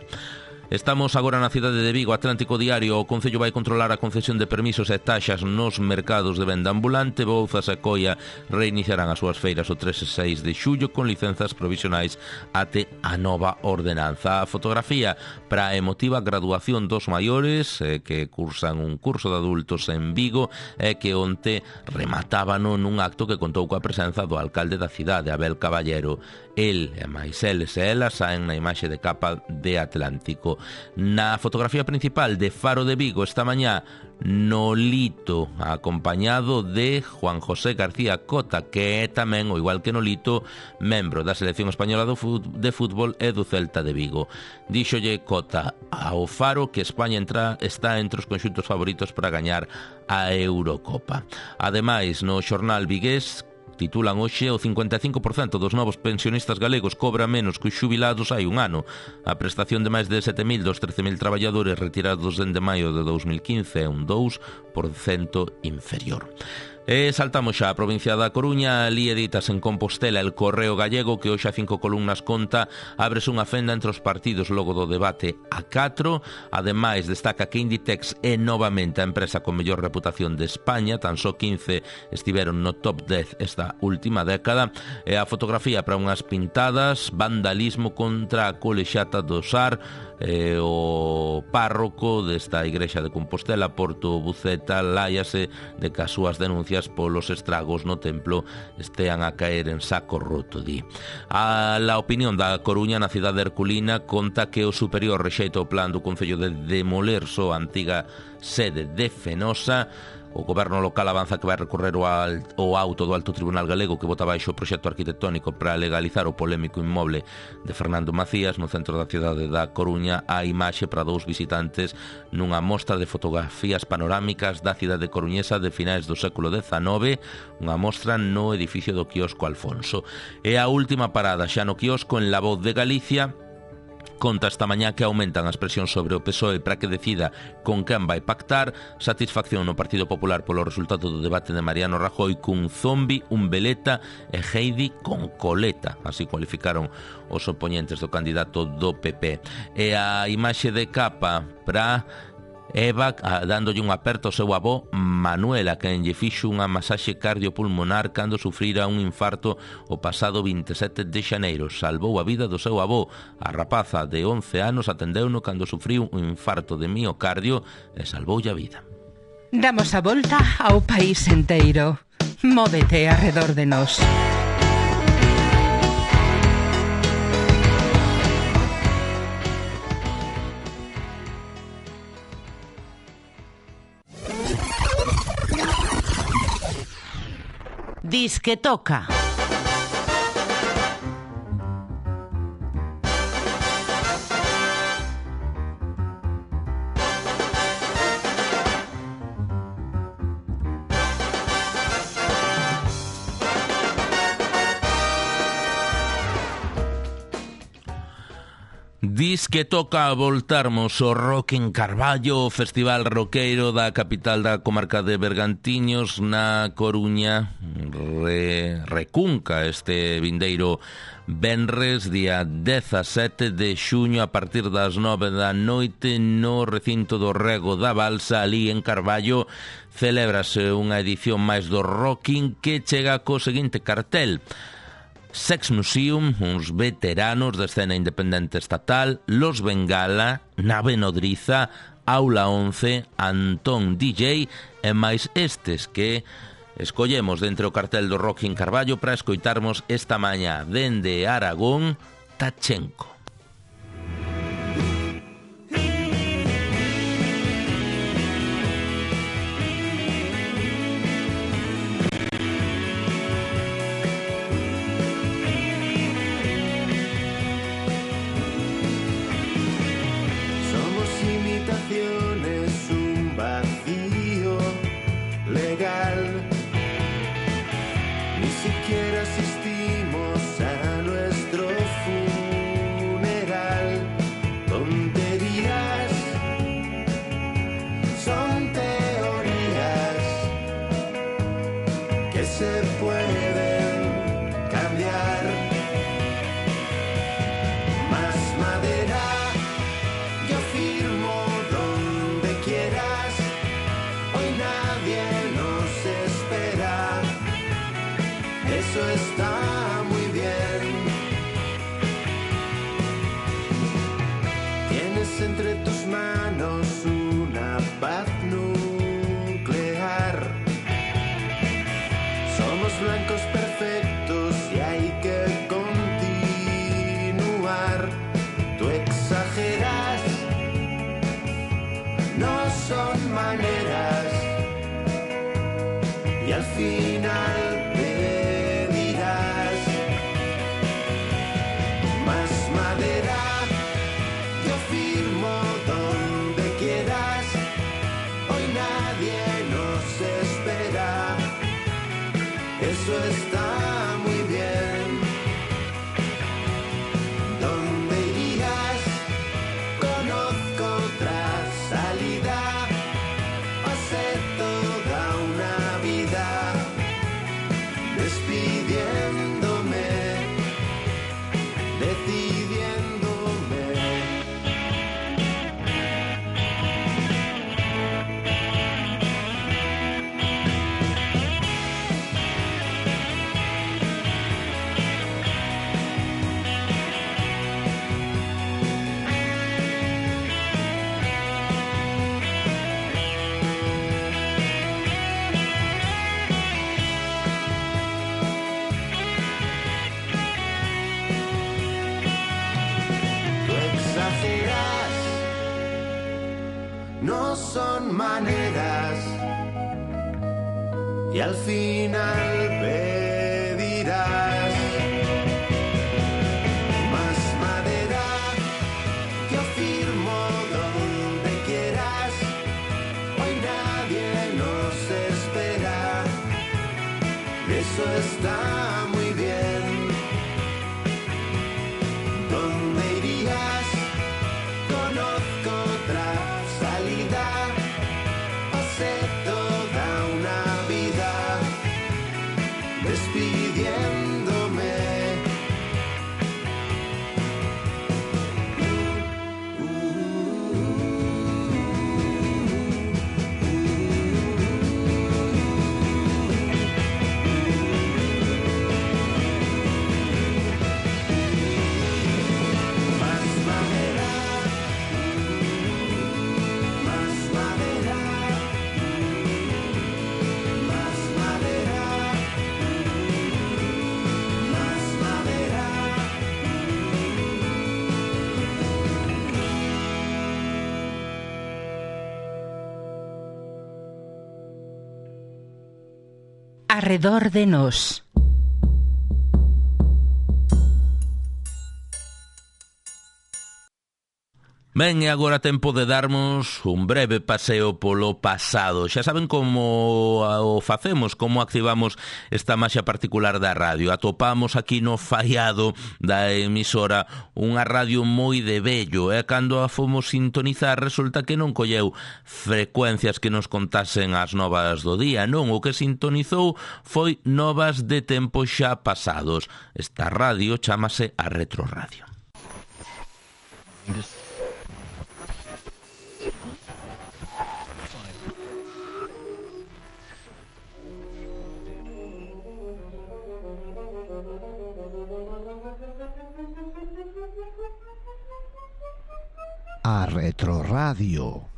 Estamos agora na cidade de Vigo. Atlántico Diario: o Concello vai controlar a concesión de permisos e taxas nos mercados de venda ambulante. Bouzas e Coia reiniciarán as súas feiras o tres e seis de xullo con licenzas provisionais até a nova ordenanza. A fotografía para a emotiva graduación dos maiores eh, que cursan un curso de adultos en Vigo e que onte rematábano nun acto que contou coa presenza do alcalde da cidade, Abel Caballero. El e máis eles e elas saen na imaxe de capa de Atlántico. Na fotografía principal de Faro de Vigo esta mañá, Nolito, acompañado de Juan José García Cota, que é tamén, o igual que Nolito, membro da selección española de fútbol e do Celta de Vigo. Díxolle Cota ao Faro que España entra, está entre os conxuntos favoritos para gañar a Eurocopa. Ademais, no xornal vigués titulan hoxe: o cincuenta e cinco por cento dos novos pensionistas galegos cobra menos que os xubilados hai un ano. A prestación de máis de sete mil dos trece mil traballadores retirados dende maio de dous mil quince é un dous por cento inferior. E saltamos xa a provincia da Coruña. Ali editas en Compostela El Correo Gallego, que hoxe a cinco columnas conta ábrese unha fenda entre os partidos logo do debate a catro. Ademais, destaca que Inditex é novamente a empresa con mellor reputación de España, tan só quince estiveron no top dez esta última década. E a fotografía para unhas pintadas: vandalismo contra a colexata do Sar. Eh, o párroco desta igrexa de Compostela, Porto Buceta, láiase de que as súas denuncias polos estragos no templo estean a caer en saco roto, di. A la opinión da Coruña, na cidade herculina, conta que o superior rexeita o plan do Concello de demoler só a antiga sede de Fenosa. O goberno local avanza que vai recorrer o, alt, o auto do Alto Tribunal Galego que bota baixo o proxecto arquitectónico para legalizar o polémico inmoble de Fernando Macías no centro da cidade da Coruña. A imaxe para dous visitantes nunha mostra de fotografías panorámicas da cidade coruñesa de finais do século dezanove, unha mostra no edificio do quiosco Alfonso. E a última parada xa no quiosco en La Voz de Galicia. Conta esta mañá que aumentan as presións sobre o P S O E para que decida con quen vai pactar. Satisfacción no Partido Popular polo resultado do debate de Mariano Rajoy cun zombi, un veleta e Heidi con coleta. Así cualificaron os oponentes do candidato do P P. E a imaxe de capa para Eva dándolle un aperto ao seu avó Manuela, que lle fixo unha masaxe cardiopulmonar cando sufrira un infarto o pasado vinte e sete de xaneiro. Salvou a vida do seu avó. A rapaza de once anos atendeuno cando sufriu un infarto de miocardio e salvoulle a vida. Damos a volta ao país enteiro. Móvete arredor de nós. Disque toca. Dis que toca voltarmos ao Rock en Carballo, o festival roqueiro da capital da comarca de Bergantiños na Coruña. Re, recunca este vindeiro venres, día dezasete de xuño, a partir das nove da noite no recinto do Rego da Balsa, ali en Carballo. Celébrase unha edición máis do Rocking que chega co seguinte cartel: Sex Museum, uns veteranos da escena independente estatal, Los Bengala, Nave Nodriza, Aula once, Antón D J e máis estes que escollemos dentro o cartel do Rock en Carballo para escoitarmos esta mañá dende Aragón, Tachenko. Ni siquiera asistimos a nuestro funeral. Tonterías, son teorías que se pueden cambiar. Más madera, yo firmo donde quieras. Hoy nadie nos espera. Eso está muy bien. Tienes entre tus manos una paz nuclear. Somos blancos perfectos y hay que continuar. Tú exageras, no son maneras. Y al final te dirás más madera. Yo firmo donde quieras. Hoy nadie nos espera. Eso está muy bien. ¿Dónde irías? Conozco otra salida. Pasé toda una vida despidiéndome, decidiéndome. Tú exageras, no son maneras. Y al final pedirás más madera. Yo firmo donde quieras. Hoy nadie nos espera. Eso está muy bien. ¿Dónde irías? Conozco otra salida. Pasé toda una vida despidiéndome. Más madera, más madera, más madera, más madera. Arredor de nós. Ben, e agora tempo de darmos un breve paseo polo pasado. Xa saben como o facemos, como activamos esta maxia particular da radio. Atopamos aquí no faiado da emisora unha radio moi de vello, e cando a fomos sintonizar resulta que non colleu frecuencias que nos contasen as novas do día. Non, o que sintonizou foi novas de tempos xa pasados. Esta radio chámase a Retroradio. A Retroradio.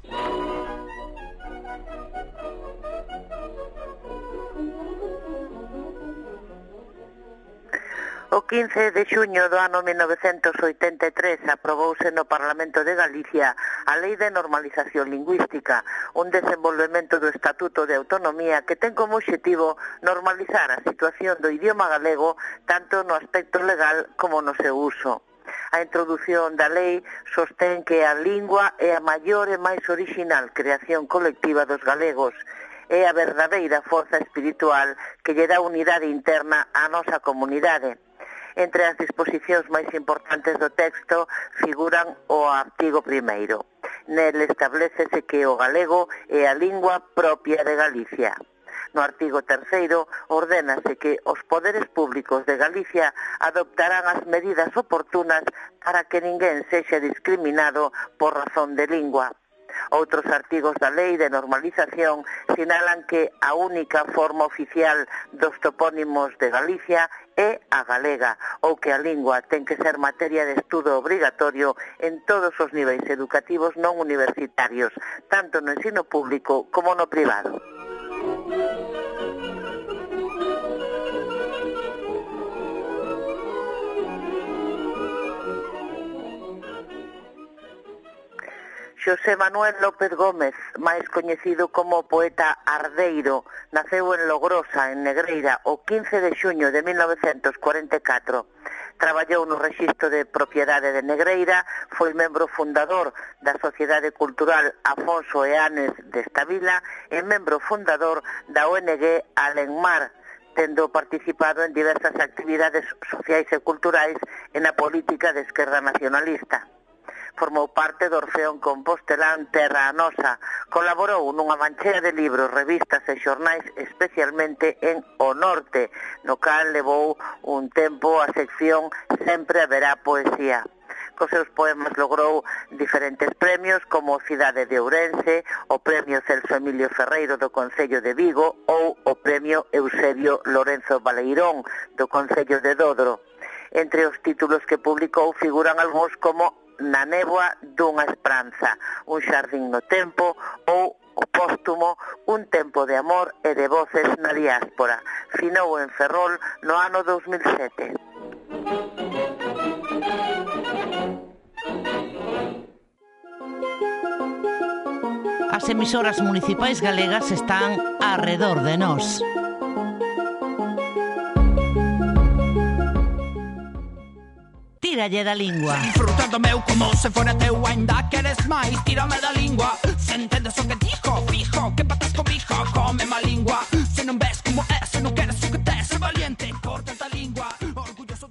O quince de xuño do ano mil novecentos oitenta e tres aprobouse no Parlamento de Galicia a Lei de Normalización Lingüística, un desenvolvemento do Estatuto de Autonomía que ten como obxectivo normalizar a situación do idioma galego tanto no aspecto legal como no seu uso. A introdución da lei sostén que a lingua é a maior e máis orixinal creación colectiva dos galegos é a verdadeira forza espiritual que lle dá unidade interna á nosa comunidade. Entre as disposicións máis importantes do texto figuran o artigo primeiro. Nel establecese que o galego é a lingua propia de Galicia. No artigo terceiro, ordénase que os poderes públicos de Galicia adoptarán as medidas oportunas para que ninguén sexa discriminado por razón de lingua. Outros artigos da Lei de Normalización sinalan que a única forma oficial dos topónimos de Galicia é a galega, ou que a lingua ten que ser materia de estudo obrigatorio en todos os niveis educativos non universitarios, tanto no ensino público como no privado. Xosé Manuel López Gómez, máis coñecido como poeta ardeiro, naceu en Logrosa, en Negreira, o quince de xuño de mil novecentos cuarenta e catro. Traballou no Rexistro de Propiedade de Negreira, foi membro fundador da Sociedade Cultural Afonso Eanes desta vila e membro fundador da O N G Alenmar, tendo participado en diversas actividades sociais e culturais e na política de esquerda nacionalista. Formou parte do Orfeón Compostelán Terra a Nosa, colaborou nunha manchea de libros, revistas e xornais, especialmente en O Norte, no cal levou un tempo a sección Sempre haberá poesía. Cos seus poemas logrou diferentes premios como o Cidade de Ourense, o Premio Celso Emilio Ferreiro do Concello de Vigo ou o Premio Eusebio Lorenzo Baleirón do Concello de Dodro. Entre os títulos que publicou figuran algúns como Na néboa dunha esperanza, Un xardín no tempo ou o póstumo Un tempo de amor e de voces na diáspora. Finou en Ferrol no ano dos mil sete. As emisoras municipais galegas están arredor de nós. Tíralle da lingua. Disfrutando meu como se fora teu, ainda queres máis, tírame da lingua. Se entendes o que dixo, fijo, que patas comigo, come má lingua. Se non ves como é, se non queres o que tes, se valiente, corta da lingua.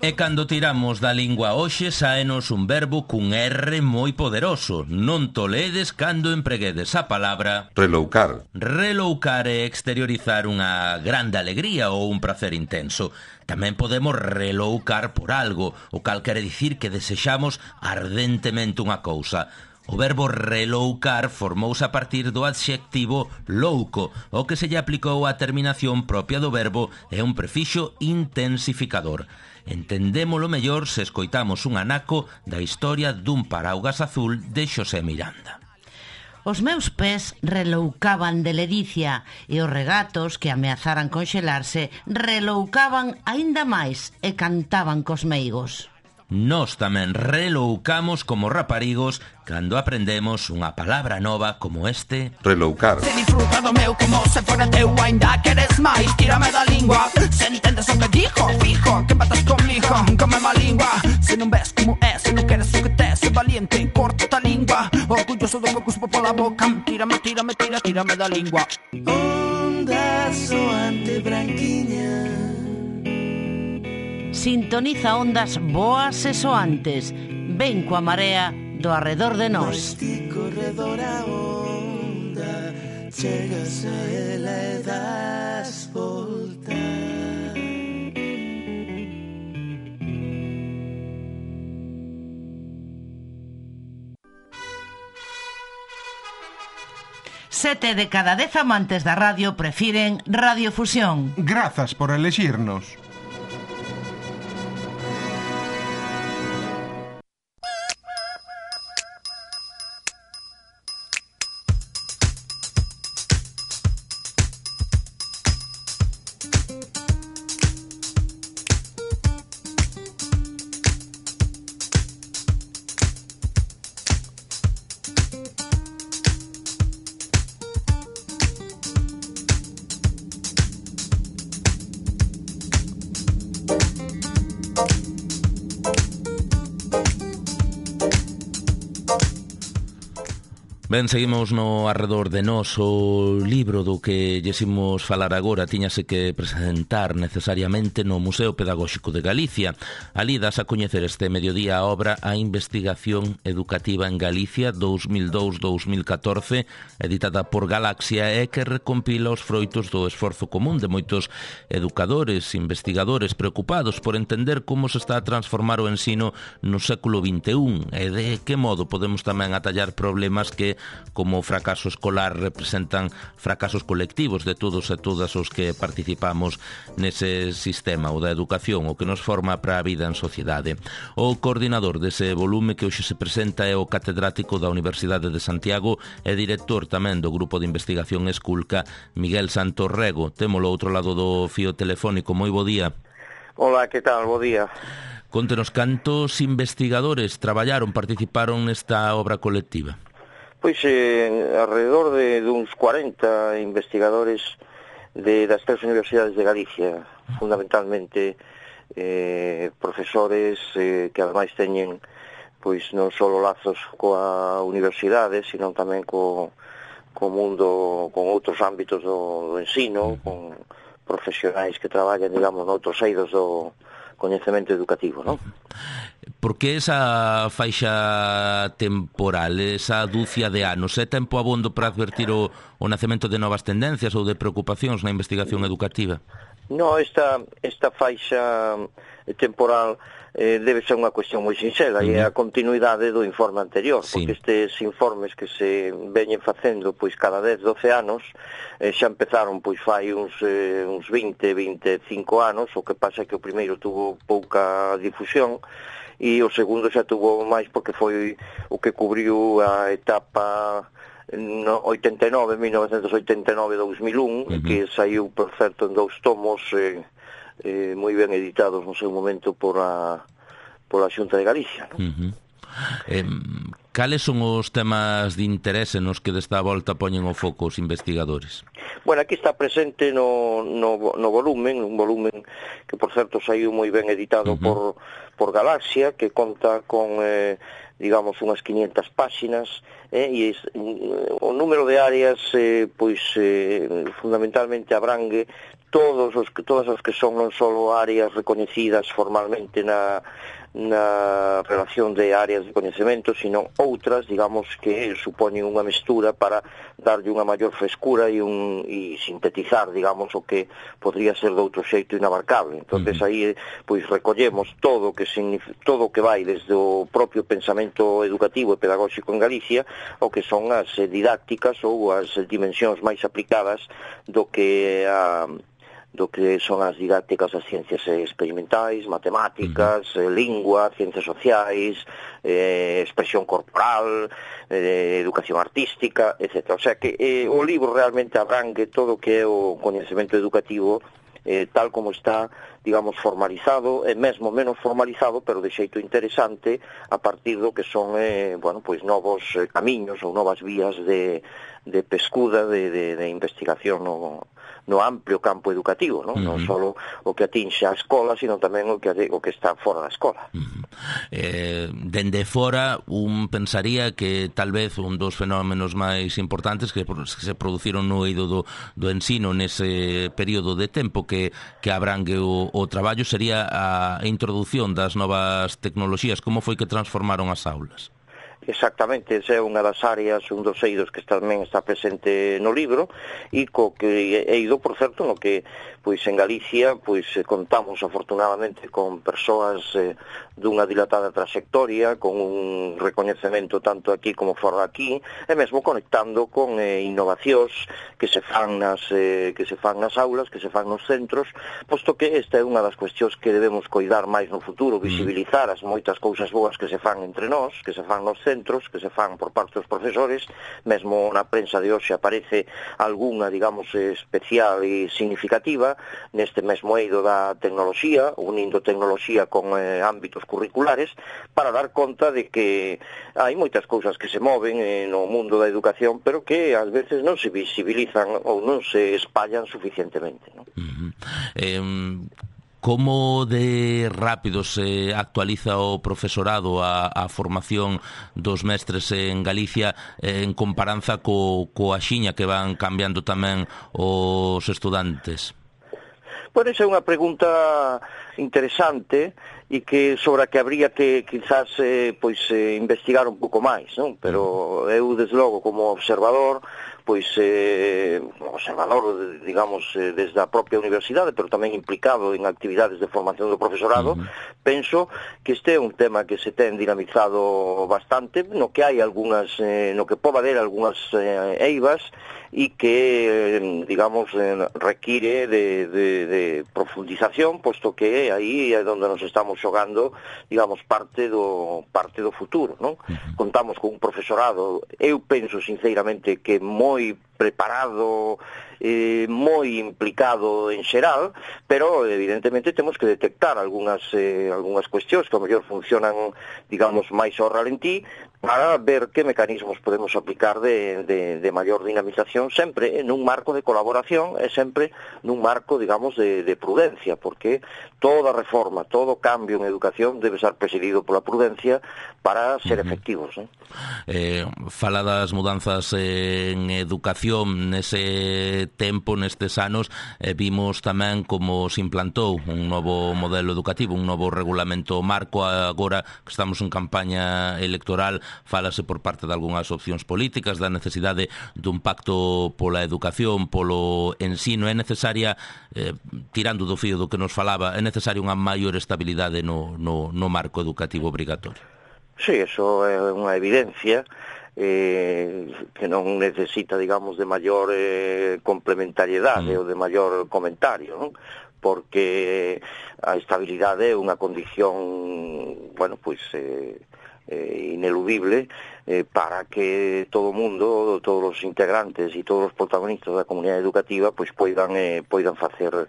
E cando tiramos da lingua hoxe saenos un verbo cun R moi poderoso. Non toledes cando empreguedes a palabra reloucar. Reloucar é exteriorizar unha grande alegría ou un prazer intenso. Tamén podemos reloucar por algo, o cal quere dicir que desexamos ardentemente unha cousa. O verbo reloucar formouse a partir do adxectivo louco, o que se lle aplicou á terminación propia do verbo é un prefixo intensificador. Entendémolo mellor se escoitamos un anaco da historia dun paraugas azul de Xosé Miranda. Os meus pés reloucaban de ledicia e os regatos que ameazaran conxelarse reloucaban aínda máis e cantaban cos meigos. Nós tamén reloucamos como raparigos cando aprendemos unha palabra nova como este reloucar. Se disfruta do meu como se fora teu, ainda queres máis, tírame da lingua. Se entendes o que dixo, fijo, que patas comigo, come má lingua. Se non ves como é, se non queres o que tes, se valiente, corta da lingua. Orgulloso do que cuspo pola boca, tírame, tírame, tira, tírame da lingua. Onda soante branquiña, sintoniza ondas boas e soantes. Ven coa marea do arredor de nós. ti corredor a onda, chegas a ela e das volta. Sete de cada dez amantes da radio prefiren Radiofusión. Grazas por elexirnos. Ben, seguimos no arredor de nós. O libro do que llesimos falar agora tiñase que presentar necesariamente no Museo Pedagóxico de Galicia. Ali das a coñecer este mediodía a obra A Investigación Educativa en Galicia dous mil dous a dous mil catorce, editada por Galaxia, e que recompila os froitos do esforzo común de moitos educadores, investigadores preocupados por entender como se está a transformar o ensino no século vinte e un e de que modo podemos tamén atallar problemas que, como o fracaso escolar, representan fracasos colectivos de todos e todas os que participamos nese sistema, o da educación, o que nos forma para a vida en sociedade. O coordinador dese volume que hoxe se presenta é o catedrático da Universidade de Santiago e director tamén do Grupo de Investigación Esculca, Miguel Santos Rego. Témolo ao outro lado do fío telefónico. Moi bo día. Hola, que tal? Bo día. Contenos, cantos investigadores traballaron, participaron nesta obra colectiva? Pois eh, alrededor de, de uns cuarenta investigadores de, das tres universidades de Galicia, fundamentalmente eh, profesores eh, que ademais teñen pois non só lazos coa universidade, sino tamén co, co mundo, con outros ámbitos do, do ensino, con profesionais que traballan, digamos, noutros eidos do coñecemento educativo, non? Por que esa faixa temporal, esa dúcia de anos? É tempo abondo para advertir o, o nacemento de novas tendencias ou de preocupacións na investigación educativa? No, esta, esta faixa temporal eh, debe ser unha cuestión moi sinxela, uh-huh. e é a continuidade do informe anterior, sí. Porque estes informes que se veñen facendo pois cada dez, doce anos eh, xa empezaron pois fai uns, eh, uns vinte, vinte e cinco anos, o que pasa é que o primeiro tuvo pouca difusión e o segundo xa tuvo máis porque foi o que cubriu a etapa no oitenta e nove, mil novecentos oitenta e nove a dous mil un, uh-huh. que saiu, por certo, en dous tomos eh, eh, moi ben editados no seu momento por a, por a Xunta de Galicia, non? Uh-huh. Eh, cales son os temas de interese nos que desta volta poñen o foco os investigadores? Bueno, aquí está presente no, no, no volumen, un volumen que, por certo, saiu moi ben editado uh-huh. por, por Galaxia, que conta con, eh, digamos, unhas quinientas páxinas, eh, e es, o número de áreas, eh, pois, eh, fundamentalmente abrangue todos os, todas as que son non só áreas recoñecidas formalmente na na relación de áreas de coñecemento, sino outras, digamos, que supoñen unha mestura para darlle unha maior frescura e, un, e sintetizar, digamos, o que podría ser de outro xeito inabarcable. Entonces uh-huh. aí, pois, recollemos todo o que significa, todo o que vai desde o propio pensamento educativo e pedagóxico en Galicia, o que son as didácticas ou as dimensións máis aplicadas do que a do que son as didácticas das ciencias experimentais, matemáticas, uh-huh. lingua, ciencias sociais, eh, expresión corporal, eh, educación artística, etcétera. O sea que eh, o libro realmente abrangue todo o que é o coñecemento educativo eh, tal como está, digamos, formalizado, e mesmo menos formalizado, pero de xeito interesante, a partir do que son, eh, bueno, pois novos eh, camiños ou novas vías de, de pescuda, de, de, de investigación no, no amplio campo educativo, non? Uh-huh. Non só o que atinxe a escola, sino tamén o que, o que está fora da escola. Uh-huh. Eh, dende fora, un pensaría que tal vez un dos fenómenos máis importantes que, que se produciron no eido do, do ensino nese período de tempo que, que abrangue o, o traballo sería a introdución das novas tecnoloxías. Como foi que transformaron as aulas? Exactamente, esa é unha das áreas, un dos eidos que tamén está presente no libro, e co que eido, por certo, no que pois en Galicia pois contamos afortunadamente con persoas eh, dunha dilatada trayectoria, con un recoñecemento tanto aquí como fora aquí, e mesmo conectando con eh, innovacións que se fan nas eh, que se fan nas aulas, que se fan nos centros, posto que esta é unha das cuestións que debemos coidar máis no futuro, visibilizar as moitas cousas boas que se fan entre nós, que se fan nos centros, que se fan por parte dos profesores, mesmo na prensa de hoxe aparece algunha, digamos, especial e significativa neste mesmo eido da tecnoloxía, unindo tecnoloxía con eh, ámbitos curriculares, para dar conta de que hai moitas cousas que se moven eh, no mundo da educación, pero que ás veces non se visibilizan ou non se espallan suficientemente, non? Uh-huh. Eh, Como de rápido se actualiza o profesorado a, a formación dos mestres en Galicia en comparanza co, coa xiña que van cambiando tamén os estudantes? Pois esa é unha pregunta interesante e que sobre a que habría que quizás eh, pois eh, investigar un pouco máis, non? Pero eu desde logo como observador, pois eh, observador, digamos, eh, desde a propia universidade, pero tamén implicado en actividades de formación do profesorado, uh-huh. penso que este é un tema que se ten dinamizado bastante, no que hai algunhas, eh, no que pode haber algunhas eh, eivas e que, digamos, eh, require de, de, de profundización, posto que aí é onde nos estamos xogando, digamos, parte do parte do futuro, non? Uh-huh. Contamos con un profesorado, eu penso sinceramente que moi preparado, eh, moi implicado en xeral, pero evidentemente temos que detectar algunhas eh, algunhas cuestións que ao mellor funcionan, digamos, máis ao ralentí, para ver que mecanismos podemos aplicar de, de, de maior dinamización, sempre nun marco de colaboración e sempre nun marco, digamos, de, de prudencia, porque toda reforma, todo cambio en educación debe ser presidido pola prudencia para ser uh-huh. efectivos, ¿no? Eh, fala das mudanzas en educación nese tempo, nestes anos, eh, vimos tamén como se implantou un novo modelo educativo, un novo regulamento marco. Agora que estamos en campaña electoral, fálase por parte de algunhas opcións políticas da necesidade dun pacto pola educación, polo ensino. É necesaria, eh, tirando do fío do que nos falaba, é necesaria unha maior estabilidade no, no, no marco educativo obrigatorio. Sí, eso é unha evidencia eh, que non necesita, digamos, de maior eh, complementariedade mm. ou de maior comentario, non? Porque a estabilidade é unha condición, bueno, pois eh, eh, ineludible eh, para que todo o mundo, todos os integrantes e todos os protagonistas da comunidade educativa pois poidan, eh, poidan facer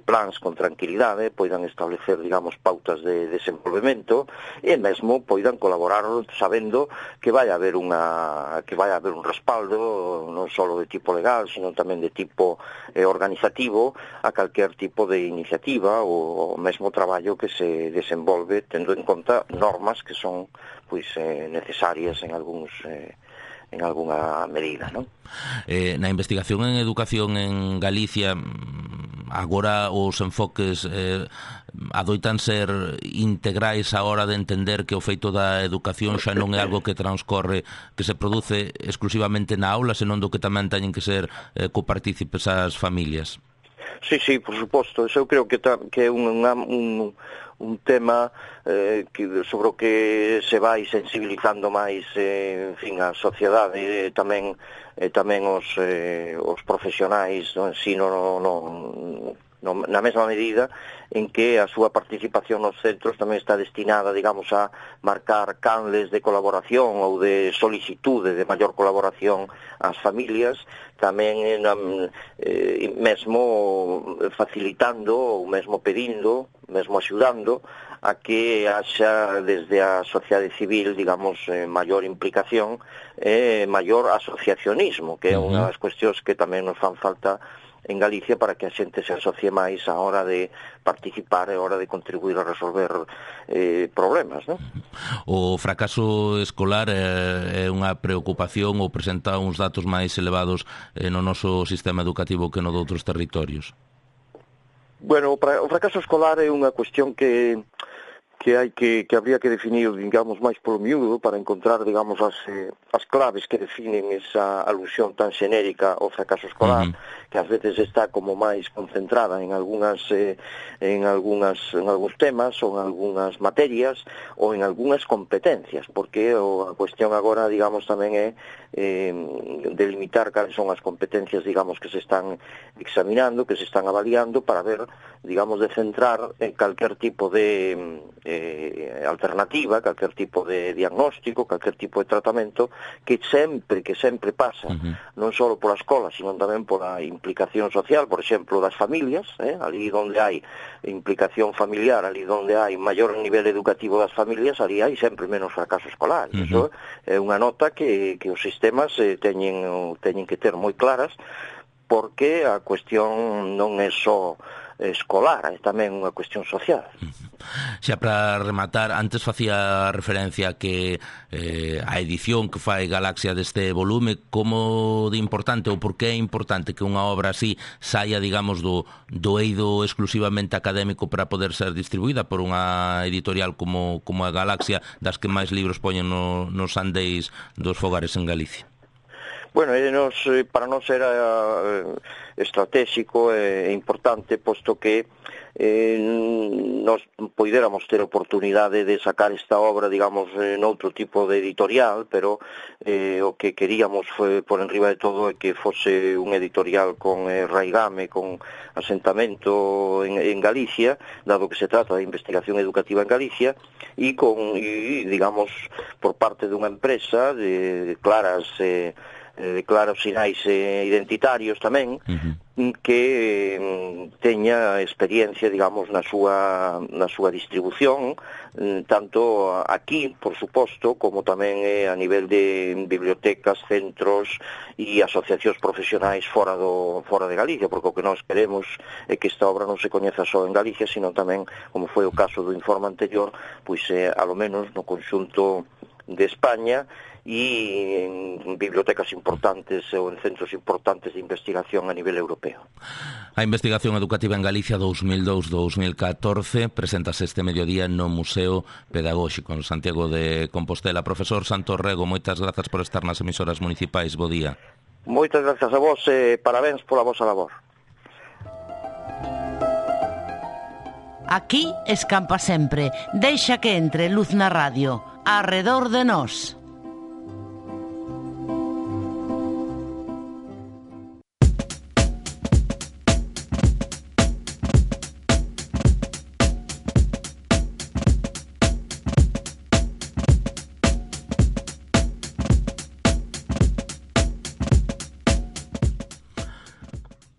plans con tranquilidade, poidan establecer, digamos, pautas de desenvolvemento e mesmo poidan colaborar sabendo que vai haber unha que vai haber un respaldo non só de tipo legal, sino tamén de tipo eh, organizativo a calquer tipo de iniciativa ou, ou mesmo traballo que se desenvolve tendo en conta normas que son pois eh, necesarias en algúns eh, en algunha medida, non? Eh, na investigación en educación en Galicia agora os enfoques eh, adoitan ser integrais a hora de entender que o feito da educación xa non é algo que transcorre, que se produce exclusivamente na aula, senón do que tamén teñen que ser eh, copartícipes as familias. Sí, sí, por suposto. Eso eu creo que, ta, que é un, un, un tema eh, que, sobre o que se vai sensibilizando máis eh, en fin, a sociedade e tamén, eh, tamén os, eh, os profesionais do ensino no, no, no, na mesma medida en que a súa participación nos centros tamén está destinada, digamos, a marcar canles de colaboración ou de solicitude de maior colaboración ás familias, tamén eh, mesmo facilitando ou mesmo pedindo, mesmo axudando a que haxa desde a sociedade civil, digamos, eh, maior implicación e eh, maior asociacionismo, que é unha das cuestións que tamén nos fan falta en Galicia para que a xente se asocie máis a hora de participar e a hora de contribuir a resolver eh, problemas, non? O fracaso escolar é, é unha preocupación ou presenta uns datos máis elevados eh, no noso sistema educativo que no de outros territorios? Bueno, o fracaso escolar é unha cuestión que que hai que, que habría que definir, digamos, máis polo miúdo para encontrar, digamos, as, eh, as claves que definen esa alusión tan xenérica ao fracaso escolar, uh-huh. que ás veces está como máis concentrada en algunhas eh, en algunhas en algúns temas ou en algunhas materias ou en algunhas competencias, porque o, a cuestión agora, digamos, tamén é eh, delimitar cales son as competencias, digamos, que se están examinando, que se están avaliando para ver, digamos, de centrar en calquer tipo de eh, alternativa, calquer tipo de diagnóstico, calquer tipo de tratamento que sempre, que sempre pasa, uh-huh. non só pola escola, sino tamén pola implicación social, por exemplo, das familias, eh, ali onde hai implicación familiar, ali onde hai maior nivel educativo das familias, ali hai sempre menos fracaso escolar. Uh-huh. Iso é unha nota que, que os sistemas eh, teñen, teñen que ter moi claras, porque a cuestión non é só escolar, é tamén unha cuestión social. Xa para rematar, antes facía referencia que eh, a edición que fai Galaxia deste volume, como de importante ou por que é importante que unha obra así saia, digamos, do, do eido exclusivamente académico para poder ser distribuída por unha editorial como, como a Galaxia, das que máis libros poñen no, nos andeis dos fogares en Galicia? Bueno, nos, para nós era eh, estratégico e eh, importante, posto que eh, nos poidéramos ter oportunidade de sacar esta obra, digamos, en outro tipo de editorial, pero eh, o que queríamos foi, por enriba de todo, é que fose un editorial con eh, raigame, con asentamento en, en Galicia, dado que se trata de investigación educativa en Galicia, e con, y, digamos, por parte dunha empresa de, de claras... Eh, de claros sinais eh, identitarios tamén, uh-huh. que eh, teña experiencia, digamos, na súa, na súa distribución, eh, tanto aquí, por suposto, como tamén eh, a nivel de bibliotecas, centros e asociacións profesionais fora, do, fora de Galicia, porque o que nós queremos é que esta obra non se coñeza só en Galicia, sino tamén, como foi o caso do informe anterior, pois eh, alo menos no conxunto de España, e en bibliotecas importantes ou en centros importantes de investigación a nivel europeo. A investigación educativa en Galicia dous mil dous a dous mil catorce presentase este mediodía no Museo Pedagóxico en Santiago de Compostela. Profesor Santos Rego, moitas grazas por estar nas emisoras municipais. Bo día. Moitas grazas a vos e parabéns pola vosa labor. Aquí escampa sempre. Deixa que entre luz na radio. Arredor de nós.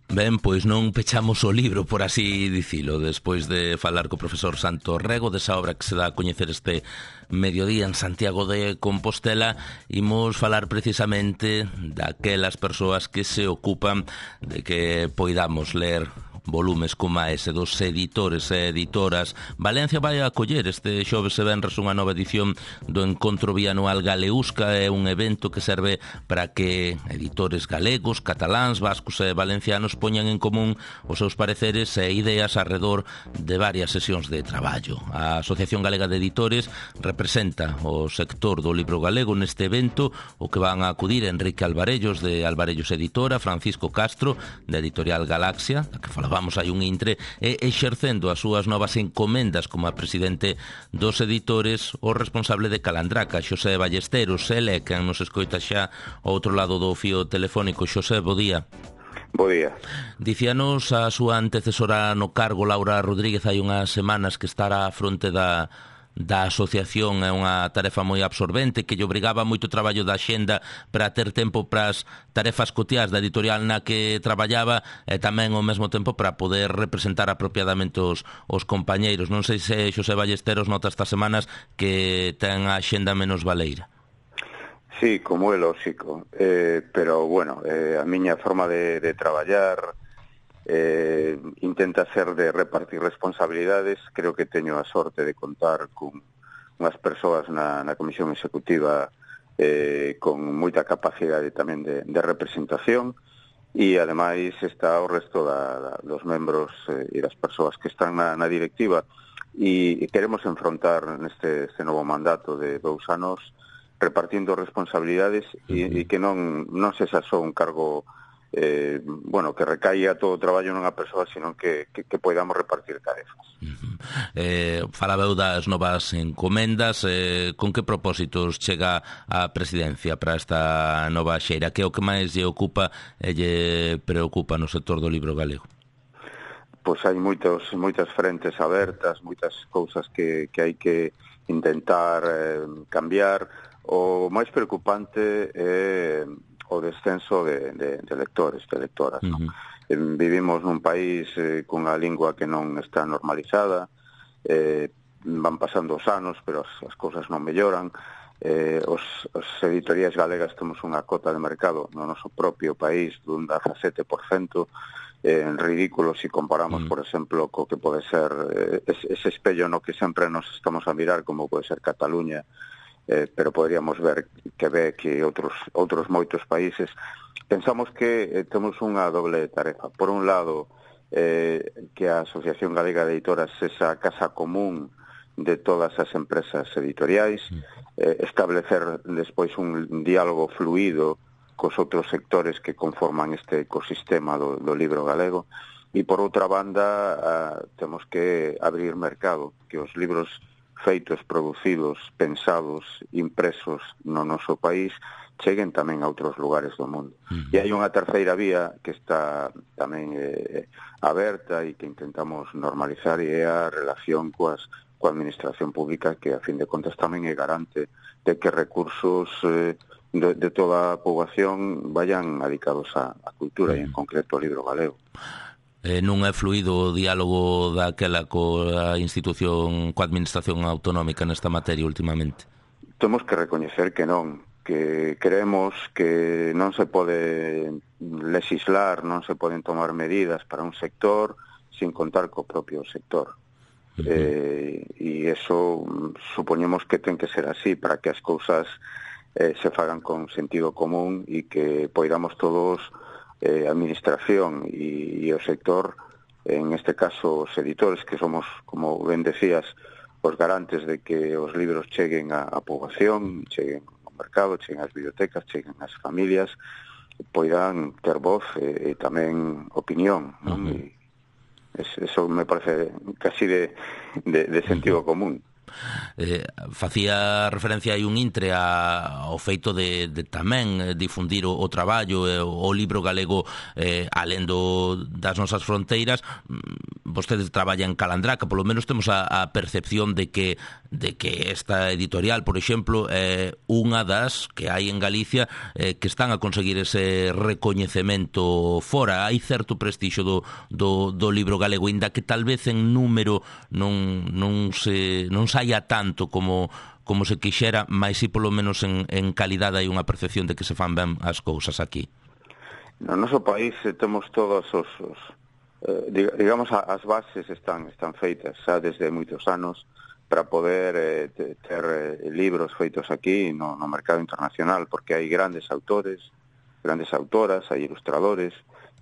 Ben, pois non pechamos o libro, por así dicilo, despois de falar co profesor Santos Rego desa obra que se dá a coñecer este mediodía en Santiago de Compostela. Imos falar precisamente daquelas persoas que se ocupan de que poidamos ler volumes como ese dos editores e editoras. Valencia vai a acoller este xoves e venres unha nova edición do Encontro Bianual Galeusca. É un evento que serve para que editores galegos, cataláns, vascos e valencianos poñan en común os seus pareceres e ideas arredor de varias sesións de traballo. A Asociación Galega de Editores representa o sector do libro galego neste evento, o que van a acudir Enrique Alvarellos de Alvarellos Editora, Francisco Castro de Editorial Galaxia, da que falaba vamos hai un intre, e exercendo as súas novas encomendas como a presidente dos editores o responsable de Calandraca, Xosé Ballesteros. Ele que nos escoita xa ao outro lado do fío telefónico. Xosé, bo día. Bo día. Dicíanos a súa antecesora no cargo, Laura Rodríguez, hai unhas semanas que estará á fronte da da asociación. É unha tarefa moi absorbente que lle obrigaba moito traballo da xenda para ter tempo para as tarefas cotiás da editorial na que traballaba e tamén ao mesmo tempo para poder representar apropiadamente os, os compañeiros. Non sei se Xosé Ballesteros nota estas semanas que ten a xenda menos baleira. Sí, como é lógico, eh, pero bueno, eh, a miña forma de, de traballar Eh, intenta ser de repartir responsabilidades. Creo que teño a sorte de contar con unhas persoas na, na Comisión Executiva eh, con moita capacidade tamén de, de representación, e ademais está o resto da, da, dos membros eh, e das persoas que están na, na directiva, e, e queremos enfrontar neste este novo mandato de dous anos repartindo responsabilidades e, e que non, non se xa só un cargo Eh, bueno, que recaia todo o traballo nunha persoa, sino que, que, que podamos repartir tarefas. Uh-huh. eh, Falabeu das novas encomendas. eh, Con que propósitos chega a presidencia para esta nova xeira? Que é o que máis lle ocupa e lle preocupa no sector do libro galego? Pois hai moitos, moitas frentes abertas, moitas cousas que, que hai que intentar eh, cambiar. O máis preocupante é o descenso de, de, de lectores, de lectoras. Uh-huh. ¿No? Eh, vivimos nun país eh, cunha lingua que non está normalizada, eh, van pasando os anos, pero as, as cousas non melloran. Eh, os, os editoriais galegas temos unha cota de mercado no noso propio país dun dezasete por cento, eh, en ridículo se si comparamos, mm. por exemplo, co que pode ser eh, ese espello no que sempre nos estamos a mirar, como pode ser Cataluña, eh, pero poderíamos ver Quebec e outros, outros moitos países. Pensamos que eh, temos unha doble tarefa. Por un lado, eh, que a Asociación Galega de Editoras é esa casa común de todas as empresas editoriais, eh, establecer despois un diálogo fluido cos outros sectores que conforman este ecosistema do, do libro galego, e por outra banda uh, temos que abrir mercado, que os libros feitos, producidos, pensados, impresos no noso país cheguen tamén a outros lugares do mundo. Uh-huh. E hai unha terceira vía que está tamén eh, aberta e que intentamos normalizar, e é a relación coas, coa administración pública, que a fin de contas tamén é garante de que recursos eh, de, de toda a poboación vayan adicados á, á cultura, uh-huh. e en concreto ao libro galego. Eh, non é fluido o diálogo daquela coa institución, coa administración autonómica nesta materia últimamente? Temos que recoñecer que non, que creemos que non se pode legislar, non se poden tomar medidas para un sector sin contar co propio sector. Uh-huh. Eh, e eso supoñemos que ten que ser así para que as cousas eh, se fagan con sentido común e que poidamos todos, eh, administración e, e o sector, en este caso os editores, que somos, como ben decías, os garantes de que os libros cheguen á, á poboación, cheguen ao mercado, cheguen ás bibliotecas, cheguen ás familias, poidan ter voz e, e tamén opinión, non? Uh-huh. E eso me parece casi de, de, de sentido común. Eh, facía referencia aí un intre a, ao feito de, de tamén difundir o, o traballo e o, o libro galego eh, alén do, das nosas fronteiras. Vostedes traballan en Calandraca, polo menos temos a, a percepción de que de que esta editorial, por exemplo, é eh, unha das que hai en Galicia eh, que están a conseguir ese recoñecemento fora. Hai certo prestixio do, do, do libro galego, inda que tal vez en número non, non se non saia tanto como como se quixera, mas si polo menos en, en calidade hai unha percepción de que se fan ben as cousas aquí. No noso país eh, temos todos os, os eh, digamos, as bases están están feitas xa desde moitos anos para poder eh, ter eh, libros feitos aquí no, no mercado internacional, porque hai grandes autores, grandes autoras, hai ilustradores,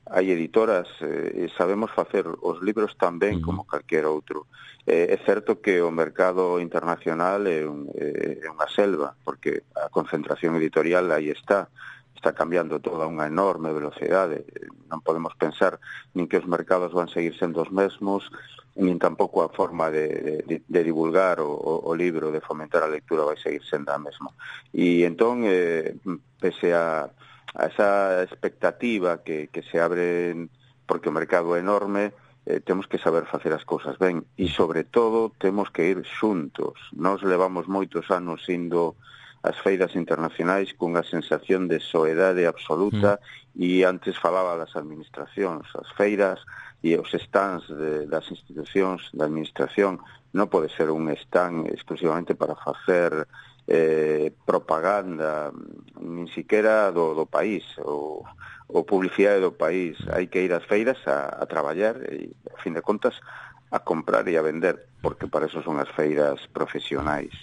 hai editoras, eh, e sabemos facer os libros tan ben como calquer outro. Eh, é certo que o mercado internacional é, un, é unha selva, porque a concentración editorial aí está, está cambiando toda unha enorme velocidade. Non podemos pensar nin que os mercados van seguir sendo os mesmos, nin tampouco a forma de, de, de divulgar o, o libro, de fomentar a lectura vai seguir sendo a mesma. E entón, eh, pese a a esa expectativa que, que se abre, porque o mercado é enorme, eh, temos que saber facer as cousas ben, e sobre todo temos que ir xuntos. Nos levamos moitos anos indo ás feiras internacionais cunha sensación de soedade absoluta, mm. e antes falaba das administracións, as feiras e os stands de, das institucións da administración non pode ser un stand exclusivamente para facer Eh, propaganda, nin siquiera do, do país ou, ou publicidade do país. Hai que ir ás feiras a, a traballar e, a fin de contas, a comprar e a vender, porque para eso son as feiras profesionais.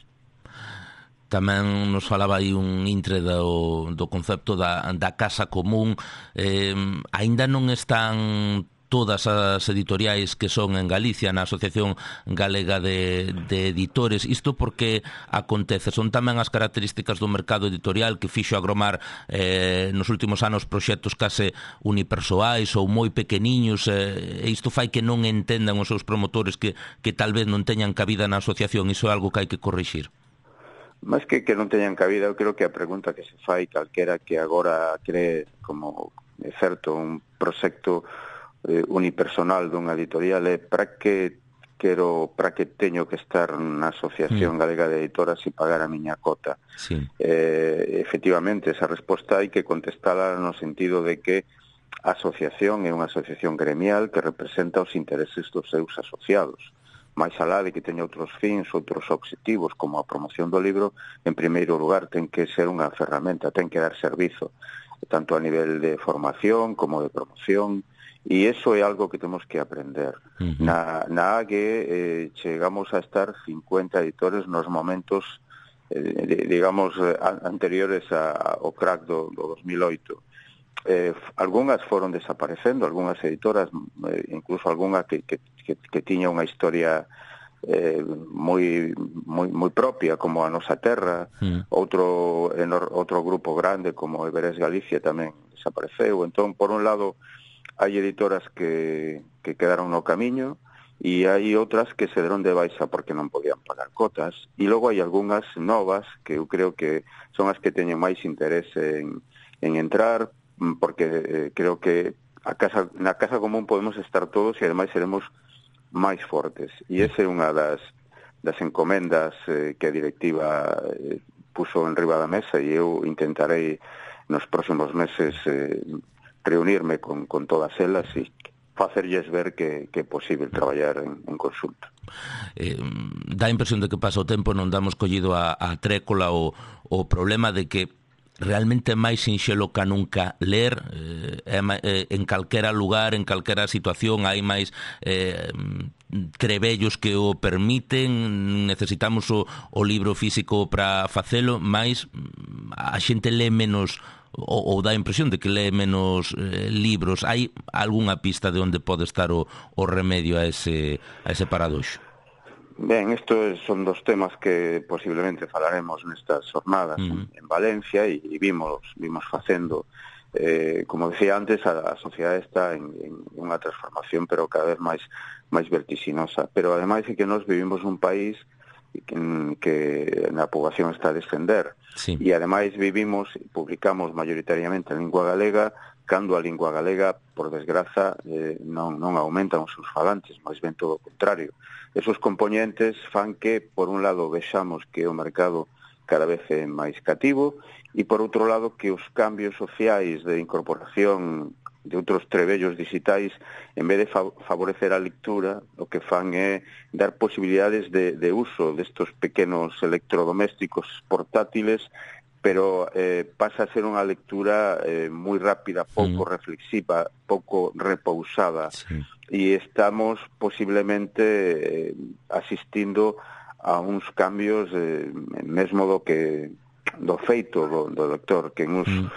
Tamén nos falaba aí un intre do, do concepto da, da casa común. Eh, aínda non están todas as editoriais que son en Galicia na Asociación Galega de, de Editores. Isto porque acontece, son tamén as características do mercado editorial que fixo agromar eh, nos últimos anos proxectos case unipersoais ou moi pequeniños, eh, e isto fai que non entendan os seus promotores que, que tal vez non teñan cabida na asociación. Iso é algo que hai que corrixir. Mas que que non teñan cabida, eu creo que a pregunta que se fai calquera que agora cree como é certo un proxecto unipersonal dunha editorial é para que quero, para que teño que estar na Asociación mm. Galega de Editoras e pagar a miña cota. Sí. Eh, efectivamente, esa resposta hai que contestala no sentido de que a asociación é unha asociación gremial que representa os intereses dos seus asociados. Mais alá de que teña outros fins, outros obxectivos, como a promoción do libro, en primeiro lugar ten que ser unha ferramenta, ten que dar servizo tanto a nivel de formación como de promoción, e iso é algo que temos que aprender. Uh-huh. Na, na A G eh, chegamos a estar cincuenta editores nos momentos, eh, digamos, anteriores a, ao crack do, do dos mil oito. Eh, algunhas foron desaparecendo, algunhas editoras, eh, incluso algunha que, que, que, que tiña unha historia eh, moi, moi, moi propia, como a Nosa Terra, mm. outro, enor, outro grupo grande como Everest Galicia tamén desapareceu. Entón, por un lado, hai editoras que, que quedaron no camiño e hai outras que se deron de baixa porque non podían pagar cotas, e logo hai algunhas novas que eu creo que son as que teñen máis interese en, en entrar, porque eh, creo que a casa, na casa común podemos estar todos e ademais seremos máis fortes. E esa é unha das, das encomendas eh, que a directiva eh, puso en riba da mesa, e eu intentarei nos próximos meses eh, reunirme con, con todas elas e facerlles ver que, que é posible traballar en, en consulta. Eh, dá a impresión de que pasa o tempo, non damos collido a, a trécola o, o problema de que realmente é máis sinxelo ca nunca ler, eh, eh, en calquera lugar, en calquera situación hai máis eh, trebellos que o permiten, necesitamos o, o libro físico para facelo, máis a xente lee menos ou, ou dá a impresión de que lee menos eh, libros. Hai algunha pista de onde pode estar o, o remedio a ese, a ese paradoxo? Ben, estos son dos temas que posiblemente falaremos nestas jornadas uh-huh. en Valencia, e, e vimos vimos facendo, eh, como decía antes, a, a sociedade está en, en unha transformación, pero cada vez máis máis vertiginosa. Pero ademais é que nós vivimos un país que, que na poboación está a descender, sí. E ademais vivimos, publicamos maioritariamente en lingua galega, cando a lingua galega, por desgraza, eh, non, non aumentan os seus falantes, máis ben todo o contrario. Esos componentes fan que, por un lado, vexamos que o mercado cada vez é máis cativo, e, por outro lado, que os cambios sociais de incorporación de outros trebellos digitais, en vez de favorecer a lectura, o que fan é dar posibilidades de, de uso destos pequenos electrodomésticos portátiles, pero eh, pasa a ser unha lectura eh, moi rápida, pouco mm. reflexiva, pouco repousada, sí. E estamos posiblemente eh, asistindo a uns cambios eh, mesmo do que do feito do, do lector, que en uns, mm.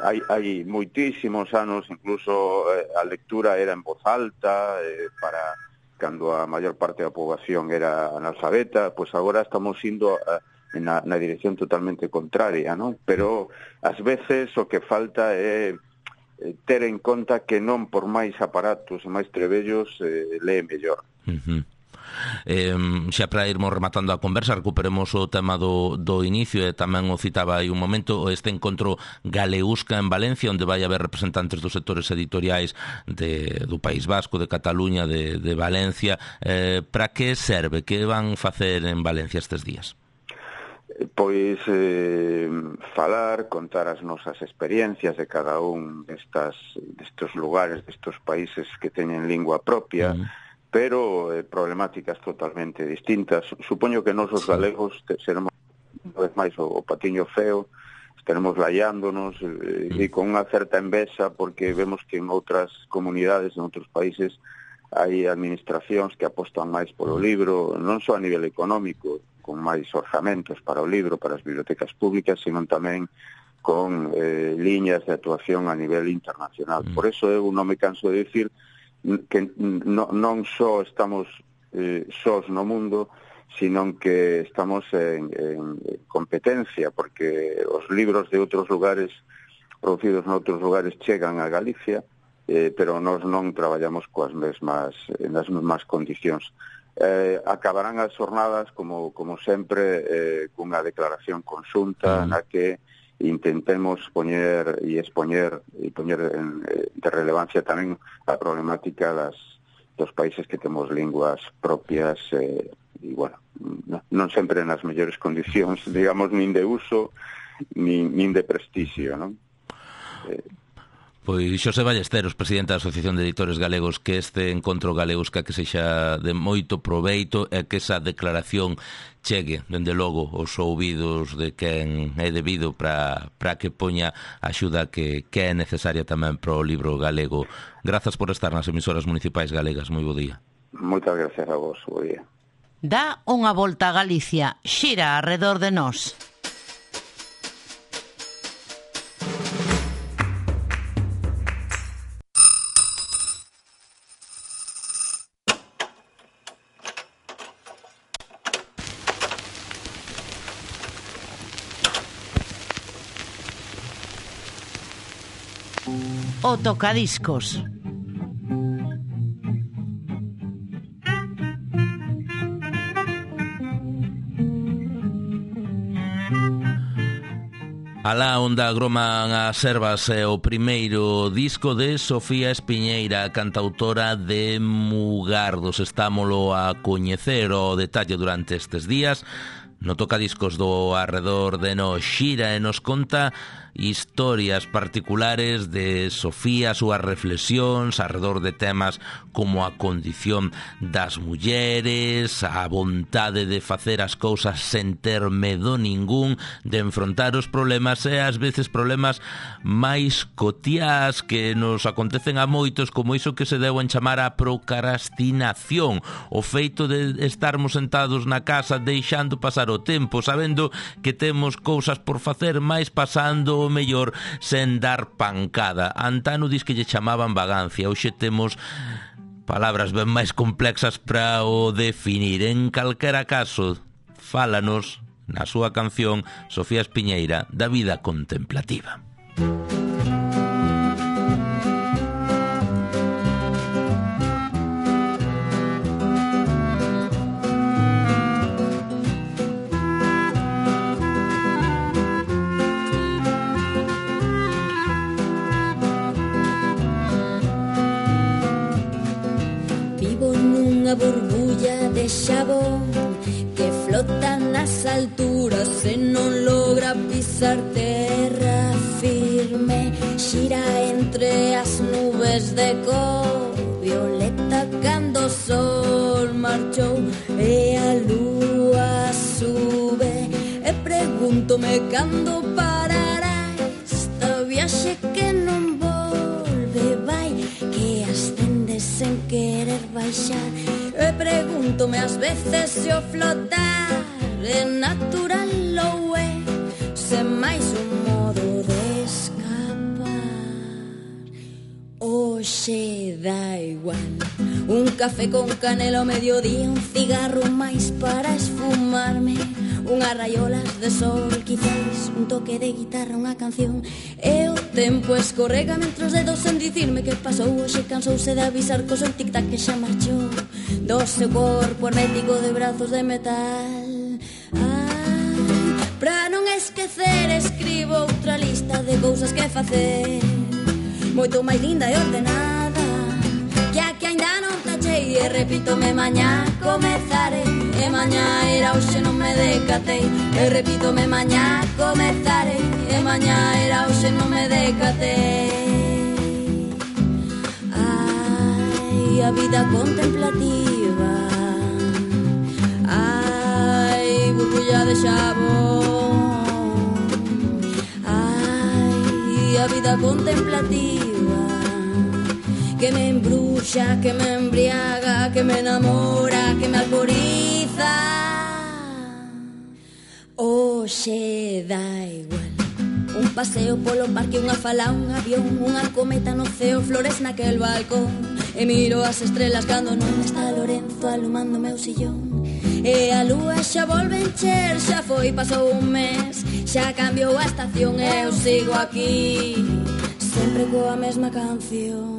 hai, hai moitísimos anos incluso eh, a lectura era en voz alta, eh, para cando a maior parte da poboación era analfabeta, pois agora estamos indo a Na, na dirección totalmente contraria, non? Pero ás veces o que falta é ter en conta que non por máis aparatos e máis trebellos eh, lee mellor. Uh-huh. Eh, xa para irmos rematando a conversa, recuperemos o tema do, do inicio, e tamén o citaba aí un momento, este encontro Galeusca en Valencia, onde vai haber representantes dos sectores editoriais de, do País Vasco, de Cataluña, de, de Valencia. Eh, para que serve? Que van facer en Valencia estes días? Pois eh, falar, contar as nosas experiencias de cada un destas, destos lugares, destos países que teñen lingua propia, uh-huh. pero eh, problemáticas totalmente distintas. Supoño que nos os sí. galegos te, seremos unha vez máis o, o patiño feo, estaremos laiándonos eh, uh-huh. e con unha certa envexa, porque vemos que en outras comunidades, en outros países, hai administracións que apostan máis polo libro, non só a nivel económico, con máis orzamentos para o libro, para as bibliotecas públicas, sino tamén con eh, liñas de actuación a nivel internacional. Mm. Por eso eu non me canso de dicir que no, non só estamos eh, sós no mundo, sino que estamos en, en competencia, porque os libros de outros lugares, producidos en outros lugares, chegan a Galicia, eh, pero nós non traballamos coas mesmas, nas mesmas condicións. Eh, acabarán as jornadas, como, como sempre, eh, cunha declaración conxunta mm. na que intentemos poñer e expoñer e poñer en, de relevancia tamén a problemática das, dos países que temos linguas propias eh, e, bueno, non sempre nas mellores condicións, digamos, nin de uso, nin, nin de prestixio, non? Eh, Pois Xosé Ballesteros, presidente da Asociación de Editores Galegos, que este encontro Galeusca que sexa de moito proveito e que esa declaración chegue, dende logo, os ouvidos de quen é debido para que poña a axuda que, que é necesaria tamén para o libro galego. Grazas por estar nas emisoras municipais galegas. Moi bo día. Moitas gracias a vos, bo día. Dá unha volta a Galicia, xira arredor de nós. O tocadiscos. Alá onde agroman as ervas é o primeiro disco de Sofía Espiñeira, cantautora de Mugardos. Estámolo a coñecer o detalle durante estes días no tocadiscos do arredor de nos xira e nos conta historias particulares de Sofía, súas reflexións arredor de temas como a condición das mulleres, a vontade de facer as cousas sen ter medo ningún, de enfrontar os problemas e ás veces problemas máis cotiás que nos acontecen a moitos, como iso que se deu en chamar a procrastinación, o feito de estarmos sentados na casa deixando pasar o tempo, sabendo que temos cousas por facer, máis pasando o mellor sen dar pancada. Antano dis que lle chamaban vagancia, hoxe temos palabras ben máis complexas para o definir. En calquera caso, fálanos na súa canción Sofía Espiñeira da vida contemplativa. Unha burbulla de xabón que flota nas alturas e non logra pisar terra firme. Xira entre as nubes de cor violeta cando o sol marchou e a lúa sube. E pregúntome cando parará esta viaxe que non volve, vai, que ascende sen querer baixar. E pregúntome ás veces se o flotar é natural ou é sen máis un modo de escapar. Oxe dá igual, un café con canela ao mediodía, un cigarro máis para esfumarme, unhas raiolas de sol, quizás un toque de guitarra, unha canción. E o tempo escorrega mentre os dedos sen dicirme que pasou. Oxe cansouse de avisar co seu tic-tac que xa marchou do seu corpo hermético de brazos de metal. Ai, pra non esquecer escribo outra lista de cousas que facer, moito máis linda e ordenada que a que aínda non tachei. E repítome mañá comezarei, e mañá era hoxe non me decatei. E repítome mañá comezarei, e mañá era hoxe non me decatei. Ai, a vida contemplativa, ai, burbulla de xabón, ai, a vida contemplativa que me embruxa, que me embriaga, que me enamora, que me alboriza. Oxe dá igual, un paseo polo parque, unha fala, un avión, unha cometa no ceo, flores naquel balcón. E miro as estrelas cando non está Lorenzo alumando meu sillón. E a lúa xa volve encher, xa foi, pasou un mes, xa cambiou a estación e eu sigo aquí, sempre coa mesma canción.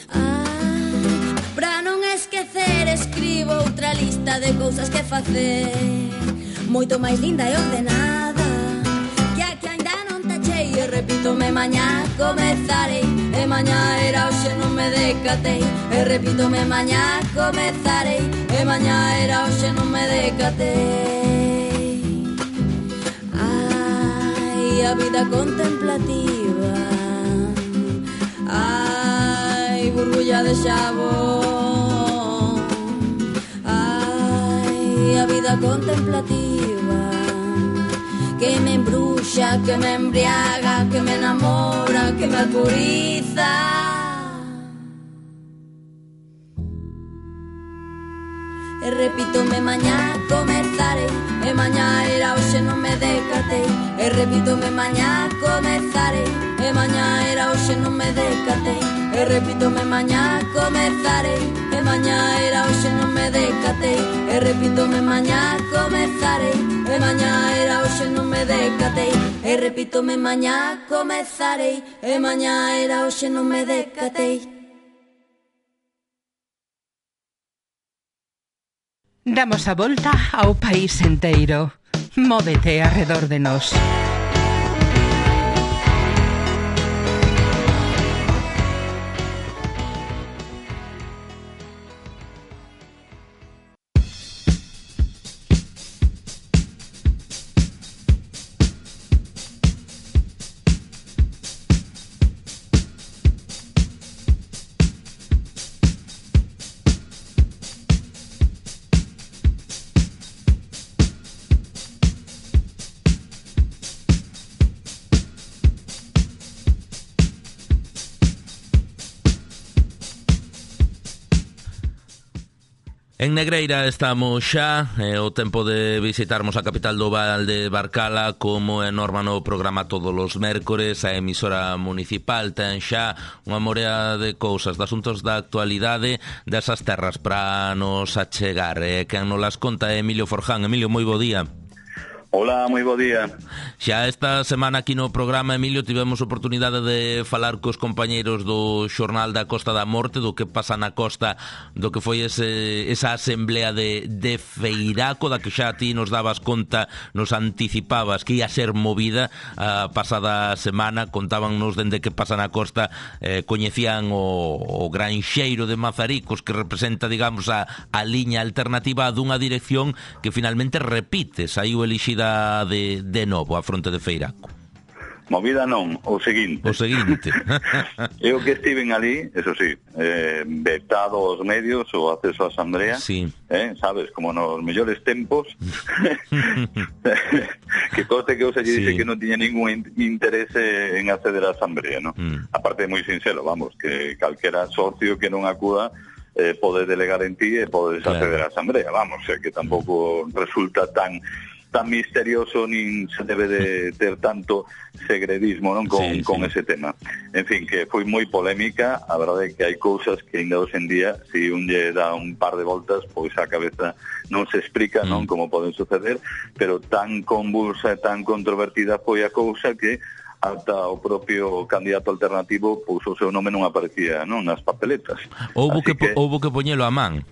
Ah, pra non esquecer escribo outra lista de cousas que facer, moito máis linda e ordenada que a que aínda non tachei. E repítome mañá comezarei, e mañá era hoxe non me decatei. E repítome mañá comezarei, e mañá era hoxe non me decatei. Ai, a vida contemplativa, burbulla de xabón. Ai, a vida contemplativa que me embruxa, que me embriaga, que me enamora, que me alpuriza. E repítome mañá comezarei, e mañá era hoxe non me decatei. E repítome mañá comezarei, e mañá era hoxe non me decatei. E repítome mañá comezarei, e mañá era hoxe non me decatei. E repítome mañá comezarei, e mañá era hoxe non me decatei. E repítome mañá comezarei, e mañá era hoxe non me decatei. Damos a volta ao país enteiro. Móvete arredor de nós. En Negreira estamos xa, é o tempo de visitarmos a capital do Val de Barcala. Como é norma no programa todos os mércores, a emisora municipal ten xa unha morea de cousas, de asuntos da actualidade desas terras para nos achegar. E quen nos las conta é Emilio Forján. Emilio, moi bo día. Hola, moi bo día. Xa esta semana aquí no programa, Emilio, tivemos oportunidade de falar cos compañeiros do Xornal da Costa da Morte, do que pasa na costa, do que foi ese, esa asamblea de, de Feiraco, da que xa ti nos dabas conta, nos anticipabas que ia ser movida a pasada semana. Contábannos dende que pasa na costa, eh, coñecían o, o granxeiro de Mazaricos, que representa, digamos, a, a liña alternativa dunha dirección que finalmente repite, saiu elixida de, de novo a fronte de Feiraco. Movida non, o seguinte. O seguinte. Eu que estiven ali, eso sí, eh, vetado aos medios o acceso á asamblea, sí. eh, sabes, como nos mellores tempos, que coste que eu se lle dice sí. que non tiña ningún interese en acceder á asamblea, ¿no? Mm. Aparte, moi sincero, vamos, que calquera socio que non acuda eh, pode delegar en ti e podes claro. acceder á asamblea, vamos, eh, que tampouco resulta tan tan misterioso, nin se debe de ter tanto segredismo, non, con, sí, con sí. ese tema. En fin, que foi moi polémica. A verdade é que hai cousas que ainda hoxe en día, se un lle dá un par de voltas, pois a cabeza non se explica, mm. non, como poden suceder, pero tan convulsa e tan controvertida foi a cousa que ata o propio candidato alternativo pois o seu nome non aparecía, non, nas papeletas. Houbo que, que houbo que poñelo a man.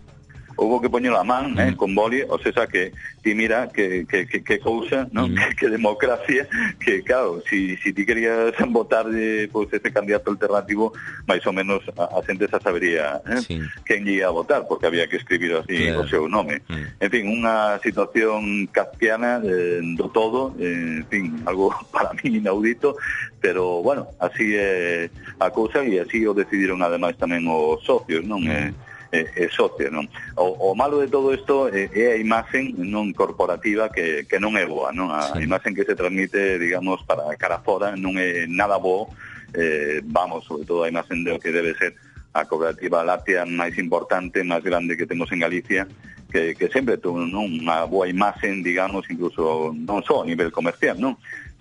Houbo que poñelo a man, mm. eh, con boli, o sea, que ti mira que, que, que, que cousa, non? Mm. Que, que democracia, que claro, si, si ti querías votar de, pues, este candidato alternativo, máis ou menos a, a xente xa sabería eh, sí. quen ia a votar, porque había que escribir así claro. o seu nome. Mm. En fin, unha situación kafkiana eh, do todo, eh, en fin, algo para mí inaudito, pero bueno, así é a cousa e así o decidiron ademais tamén os socios, non? Mm. Eh, É, é socio, non? O, o malo de todo isto é, é a imaxen non corporativa que, que non é boa, non? A sí. imaxen que se transmite, digamos, para cara fora non é nada bo, eh, vamos, sobre todo a imaxen de o que debe ser a cooperativa láctea máis importante, máis grande que temos en Galicia, que, que sempre tuvo non? Unha boa imaxen, digamos, incluso non só a nivel comercial, non?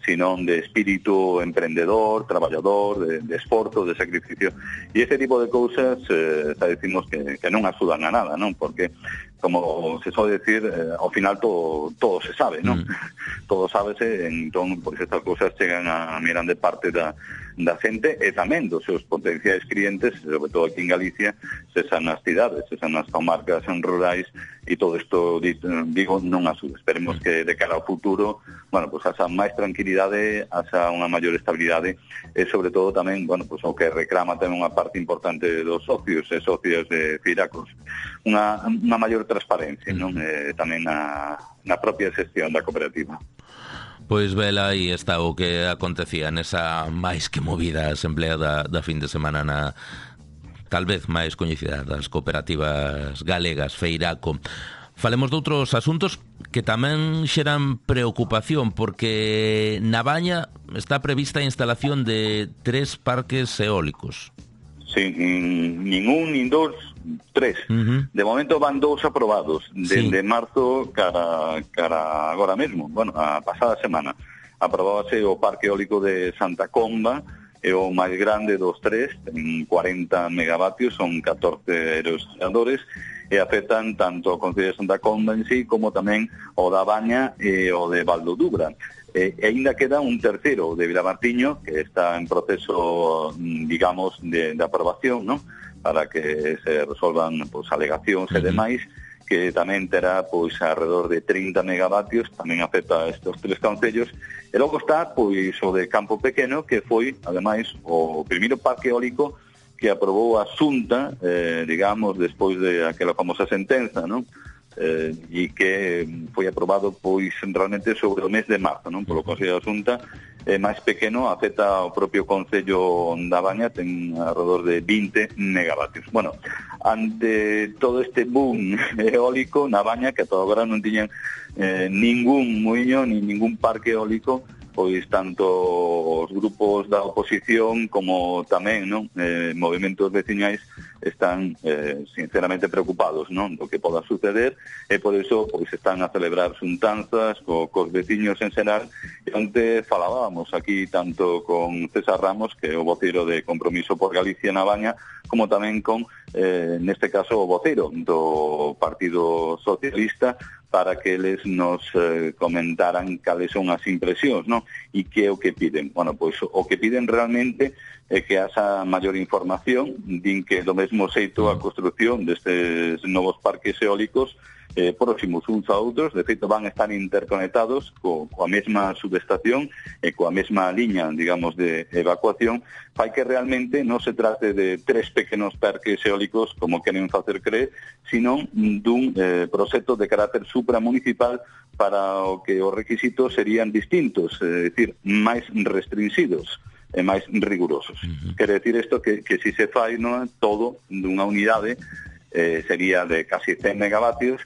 Sino de espírito emprendedor, traballador, de, de esforzo, de sacrificio. E ese tipo de cousas, eh, xa decimos que, que non axudan a nada, non? Porque, como se soe decir, eh, ao final todo, todo se sabe, non? Mm. Todo sábese, entón, pois estas cousas chegan a grande parte da, da xente e tamén dos seus potenciais clientes, sobre todo aquí en Galicia, se san nas cidades, se san nas comarcas en rurais, e todo isto, digo, non axuda. Esperemos que de cara ao futuro, bueno, pues asa máis tranquilidade, asa unha maior estabilidade, e sobre todo tamén, bueno, pues o que reclama tamén unha parte importante dos socios e socias de Feiracos, unha, unha maior transparencia, non? Eh, tamén na, na propia xestión da cooperativa. Pois vela, aí está o que acontecía nesa máis que movida asamblea da, da fin de semana na tal vez máis coñecida das cooperativas galegas, Feiraco. Falemos de outros asuntos que tamén xeran preocupación, porque na Baña está prevista a instalación de tres parques eólicos. Sí, nin un, nin dos, tres. Uh-huh. De momento van dous aprobados, desde sí. marzo cara, cara agora mesmo, bueno, a pasada semana. Aprobábase o parque eólico de Santa Comba, é o máis grande dos tres, ten cuarenta megavatios, son catorce aerogeneradores, e afectan tanto o Concello de Santa Comba en sí, como tamén o da Baña e o de Valdodubra. E, e ainda queda un terceiro de Vilamartiño, que está en proceso, digamos, de, de aprobación, ¿no?, para que se resolvan pues, alegacións e demais, que tamén terá pois alrededor de trinta megavatios, tamén afecta a estes tres concellos. E logo está pois o de Campo Pequeno, que foi, ademais, o primeiro parque eólico que aprobou a Xunta, eh, digamos, despois de aquela famosa sentenza, non? Eh, e que foi aprobado pois realmente sobre o mes de marzo, non? Polo Consello da Xunta, é máis pequeno, afecta ao propio Concello da Baña, ten alrededor de vinte megavatios. Bueno, ante todo este boom eólico na Baña, que ata agora non tiñan eh, ningún muiño, ni ningún parque eólico, pois tanto os grupos da oposición como tamén, non, eh, movimentos veciñais están eh, sinceramente preocupados, non, do que poda suceder, e por iso pois están a celebrar xuntanzas co, cos veciños en xeral. E onte falábamos aquí tanto con César Ramos, que é o voceiro de Compromiso por Galicia na Baña, como tamén con, eh, neste caso, o voceiro do Partido Socialista, para que eles nos eh, comentaran cales son as impresións, non? E que é o que piden. Bueno, pois o que piden realmente é que haxa maior información, din que do mesmo xeito a construcción destes novos parques eólicos eh, próximos uns a outros, de feito van a estar interconectados co, coa mesma subestación e coa mesma liña, digamos, de evacuación, fai que realmente non se trate de tres pequenos parques eólicos como queren facer creer, sino dun eh, proxecto de carácter supramunicipal para o que os requisitos serían distintos, é dicir, máis restringidos e máis rigurosos. Uh-huh. Quere decir isto que, que si se fai, non, todo dunha unidade eh, sería de casi cen megavatios,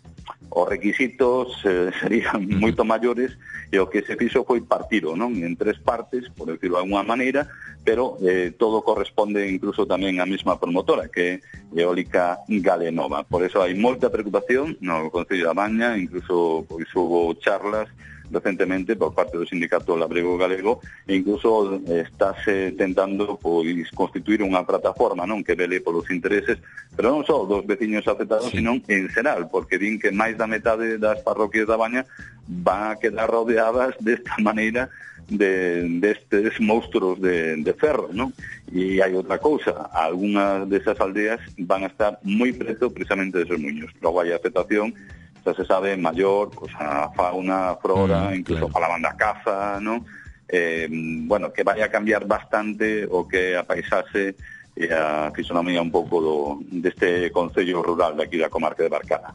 os requisitos eh, serían moito maiores, e o que se fixo foi partido, non, en tres partes, por decirlo de alguna maneira, pero eh, todo corresponde incluso tamén á mesma promotora, que é Eólica Galenova. Por eso hai moita preocupación no Concello da Baña, incluso pois hubo charlas recentemente por parte do Sindicato Labrego Galego, e incluso estáse tentando pois constituir unha plataforma, non, que vele polos intereses, pero non só dos veciños afectados, sí, sino en xeral, porque din que máis da metade das parroquias da Baña van a quedar rodeadas desta maneira de destes monstruos de, de ferro, non? E hai outra cousa, algunhas desas aldeas van a estar moi preto precisamente deses muiños. Logo hai afectación, xa se sabe, maior, pues, a fauna, a flora, mm, incluso claro, falaban da caza, ¿no? Eh, bueno, que vai a cambiar bastante o que a paisaxe e a fisonomía un pouco do, deste concello rural de aquí da comarca de Barcana.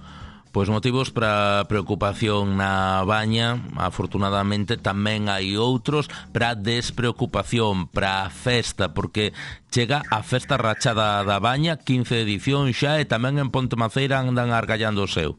Pois motivos para preocupación na Baña, afortunadamente tamén hai outros para despreocupación, para a festa, porque chega a festa rachada da Baña, quince edición xa, e tamén en Pontemaceira andan argallando o seu.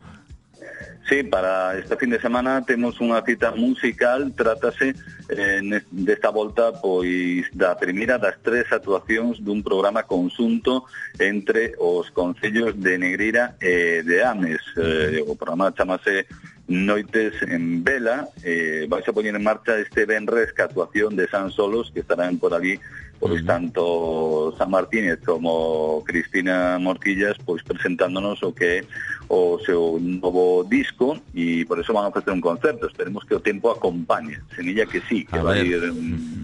Sí, para este fin de semana temos unha cita musical, trátase eh, desta volta pois da primeira das tres actuacións dun programa conxunto entre os concellos de Negreira e de Ames. Eh, o programa chamase Noites en Vela, eh, vais a poñer en marcha este venres que actuación de San Solos, que estarán por ali pois tanto San Martínez como Cristina Morquillas pois presentándonos o que é o seu novo disco, e por eso van a ofrecer un concerto. Esperemos que o tempo acompañe, semilla que sí, que vai ir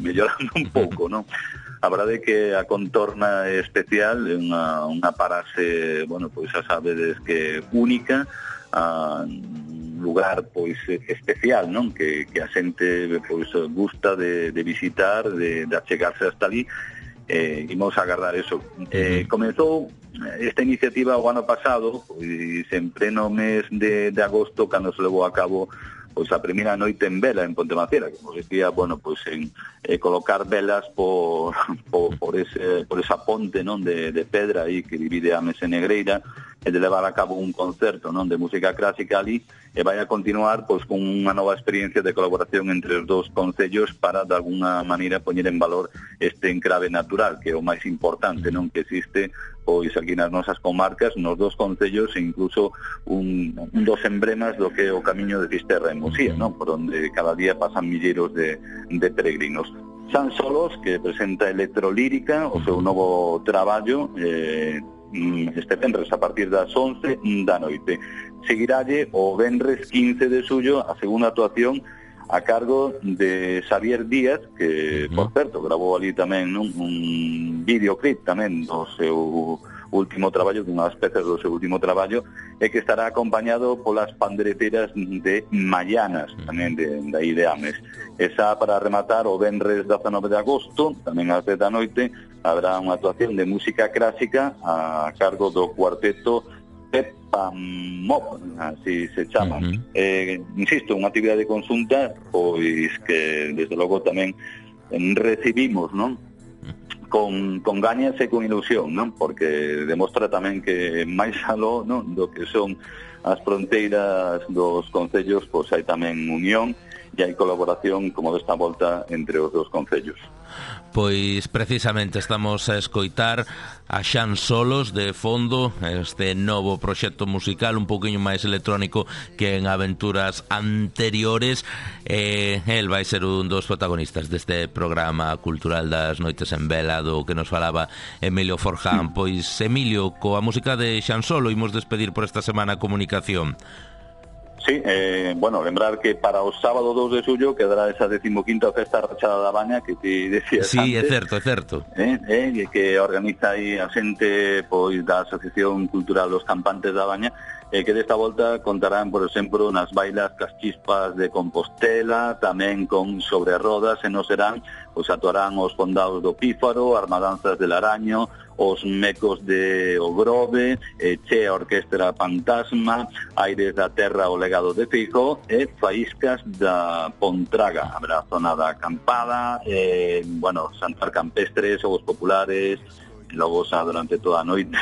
mellorando un pouco, non? A verdade é que a contorna é especial, é unha, unha parase, bueno, pois xa sabedes que única, a lugar pois especial, non? Que, que a xente pois gusta de, de visitar, de, de achegarse hasta ali, eh, imos agardar eso. Eh, comezou esta iniciativa o ano pasado, pois sempre no mes de, de agosto, cando se levou a cabo pois a primeira noite en vela en Pontemaciera, que consistía, bueno, pois en eh, colocar velas por, por, por, ese, por esa ponte, non, de, de pedra aí que divide a Mesa Negreira, e de levar a cabo un concerto, non, de música clásica ali, e vai a continuar pois con unha nova experiencia de colaboración entre os dous concellos para de alguna maneira poñer en valor este encrave natural, que é o máis importante, non, que existe pois aquí nas nosas comarcas, nos dos concellos, e incluso un, un dos emblemas do que é o camiño de Fisterra en Muxía, non, por onde cada día pasan milleiros de, de peregrinos. San Solos, que presenta Electrolírica, o seu novo traballo, eh, este venres a partir das once da noite. Seguiralle o venres quince de xullo a segunda actuación a cargo de Xavier Díaz, que, por certo, gravou ali tamén, non, un videoclip tamén do seu último traballo, dunha das pezas do seu último traballo, e que estará acompañado polas pandereteras de Mayanas, tamén de, de aí de Ames. Esa para rematar o venres dezanove de agosto, tamén ás dez da noite, habrá unha actuación de música clásica a cargo do cuarteto Pepamop, así se chama. Uh-huh. Eh, insisto, unha actividade conxunta, pois que desde logo tamén recibimos, non? Con, con gañas e con ilusión, non? Porque demostra tamén que máis aló, non, do que son as fronteiras dos concellos, pois hai tamén unión e hai colaboración, como desta volta, entre os dos concellos. Pois precisamente estamos a escoitar a Xan Solos de fondo, este novo proxecto musical un poquinho máis electrónico que en aventuras anteriores. eh, El vai ser un dos protagonistas deste programa cultural das Noites en Vela, do que nos falaba Emilio Forján. Pois Emilio, coa música de Xan Solo imos despedir por esta semana a comunicación. Sí, eh, bueno, lembrar que para o sábado dos de xullo quedará esa decimoquinta festa Rachada da Baña que ti decías sí, antes. Sí, é certo, é certo. Eh, eh, que organiza aí a xente pois da Asociación Cultural Los Campantes da Baña, e eh, que desta volta contarán, por exemplo, nas bailas cas chispas de Compostela, tamén con sobre rodas, e non serán, pois actuarán os Fondados do Pífaro, Armadanzas del Araño, os Mecos de Ogrove, eh, Che a Orquestra Fantasma, Aires da Terra o Legado de Fijo, e Faíscas da Pontraga. Habrá zona da acampada, eh, bueno, Santar Campestres, Xogos Populares, logo xa durante toda a noite,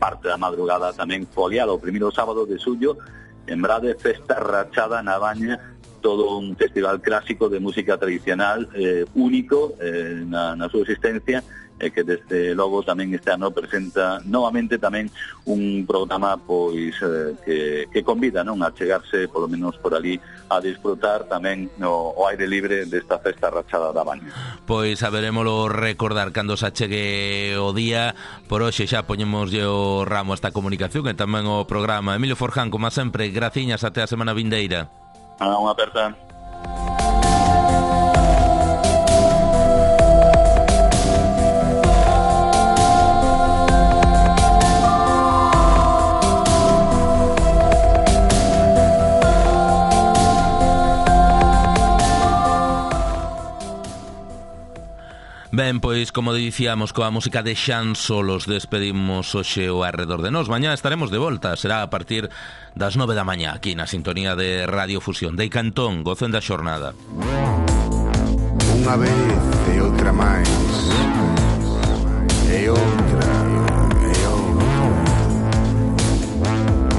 parte da madrugada tamén foliado. O primeiro sábado de xullo, en Brade, Festa Rachada na Baña, todo un festival clásico de música tradicional, eh, único eh, na, na súa existencia, e que desde logo tamén este ano presenta novamente tamén un programa pois eh, que, que convida, non, a chegarse polo menos por ali a disfrutar tamén no, o aire libre desta Festa Rachada da Baña. Pois saberémolo recordar cando se achegue o día. Por hoxe xa poñemos o ramo a esta comunicación e tamén o programa. Emilio Forján, como sempre, graciñas, até a semana vindeira. Ah, unha aperta. Ben, pois, como dicíamos, coa música de Xan Solos despedimos hoxe o Arredor de Nós. Mañá estaremos de volta, será a partir das nove da mañá, aquí na sintonía de Radio Fusión. Dei Cantón, gocen da xornada. Unha vez e outra máis, e outra, e outra,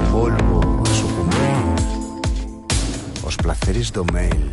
volvo a sucumbir os placeres do mail.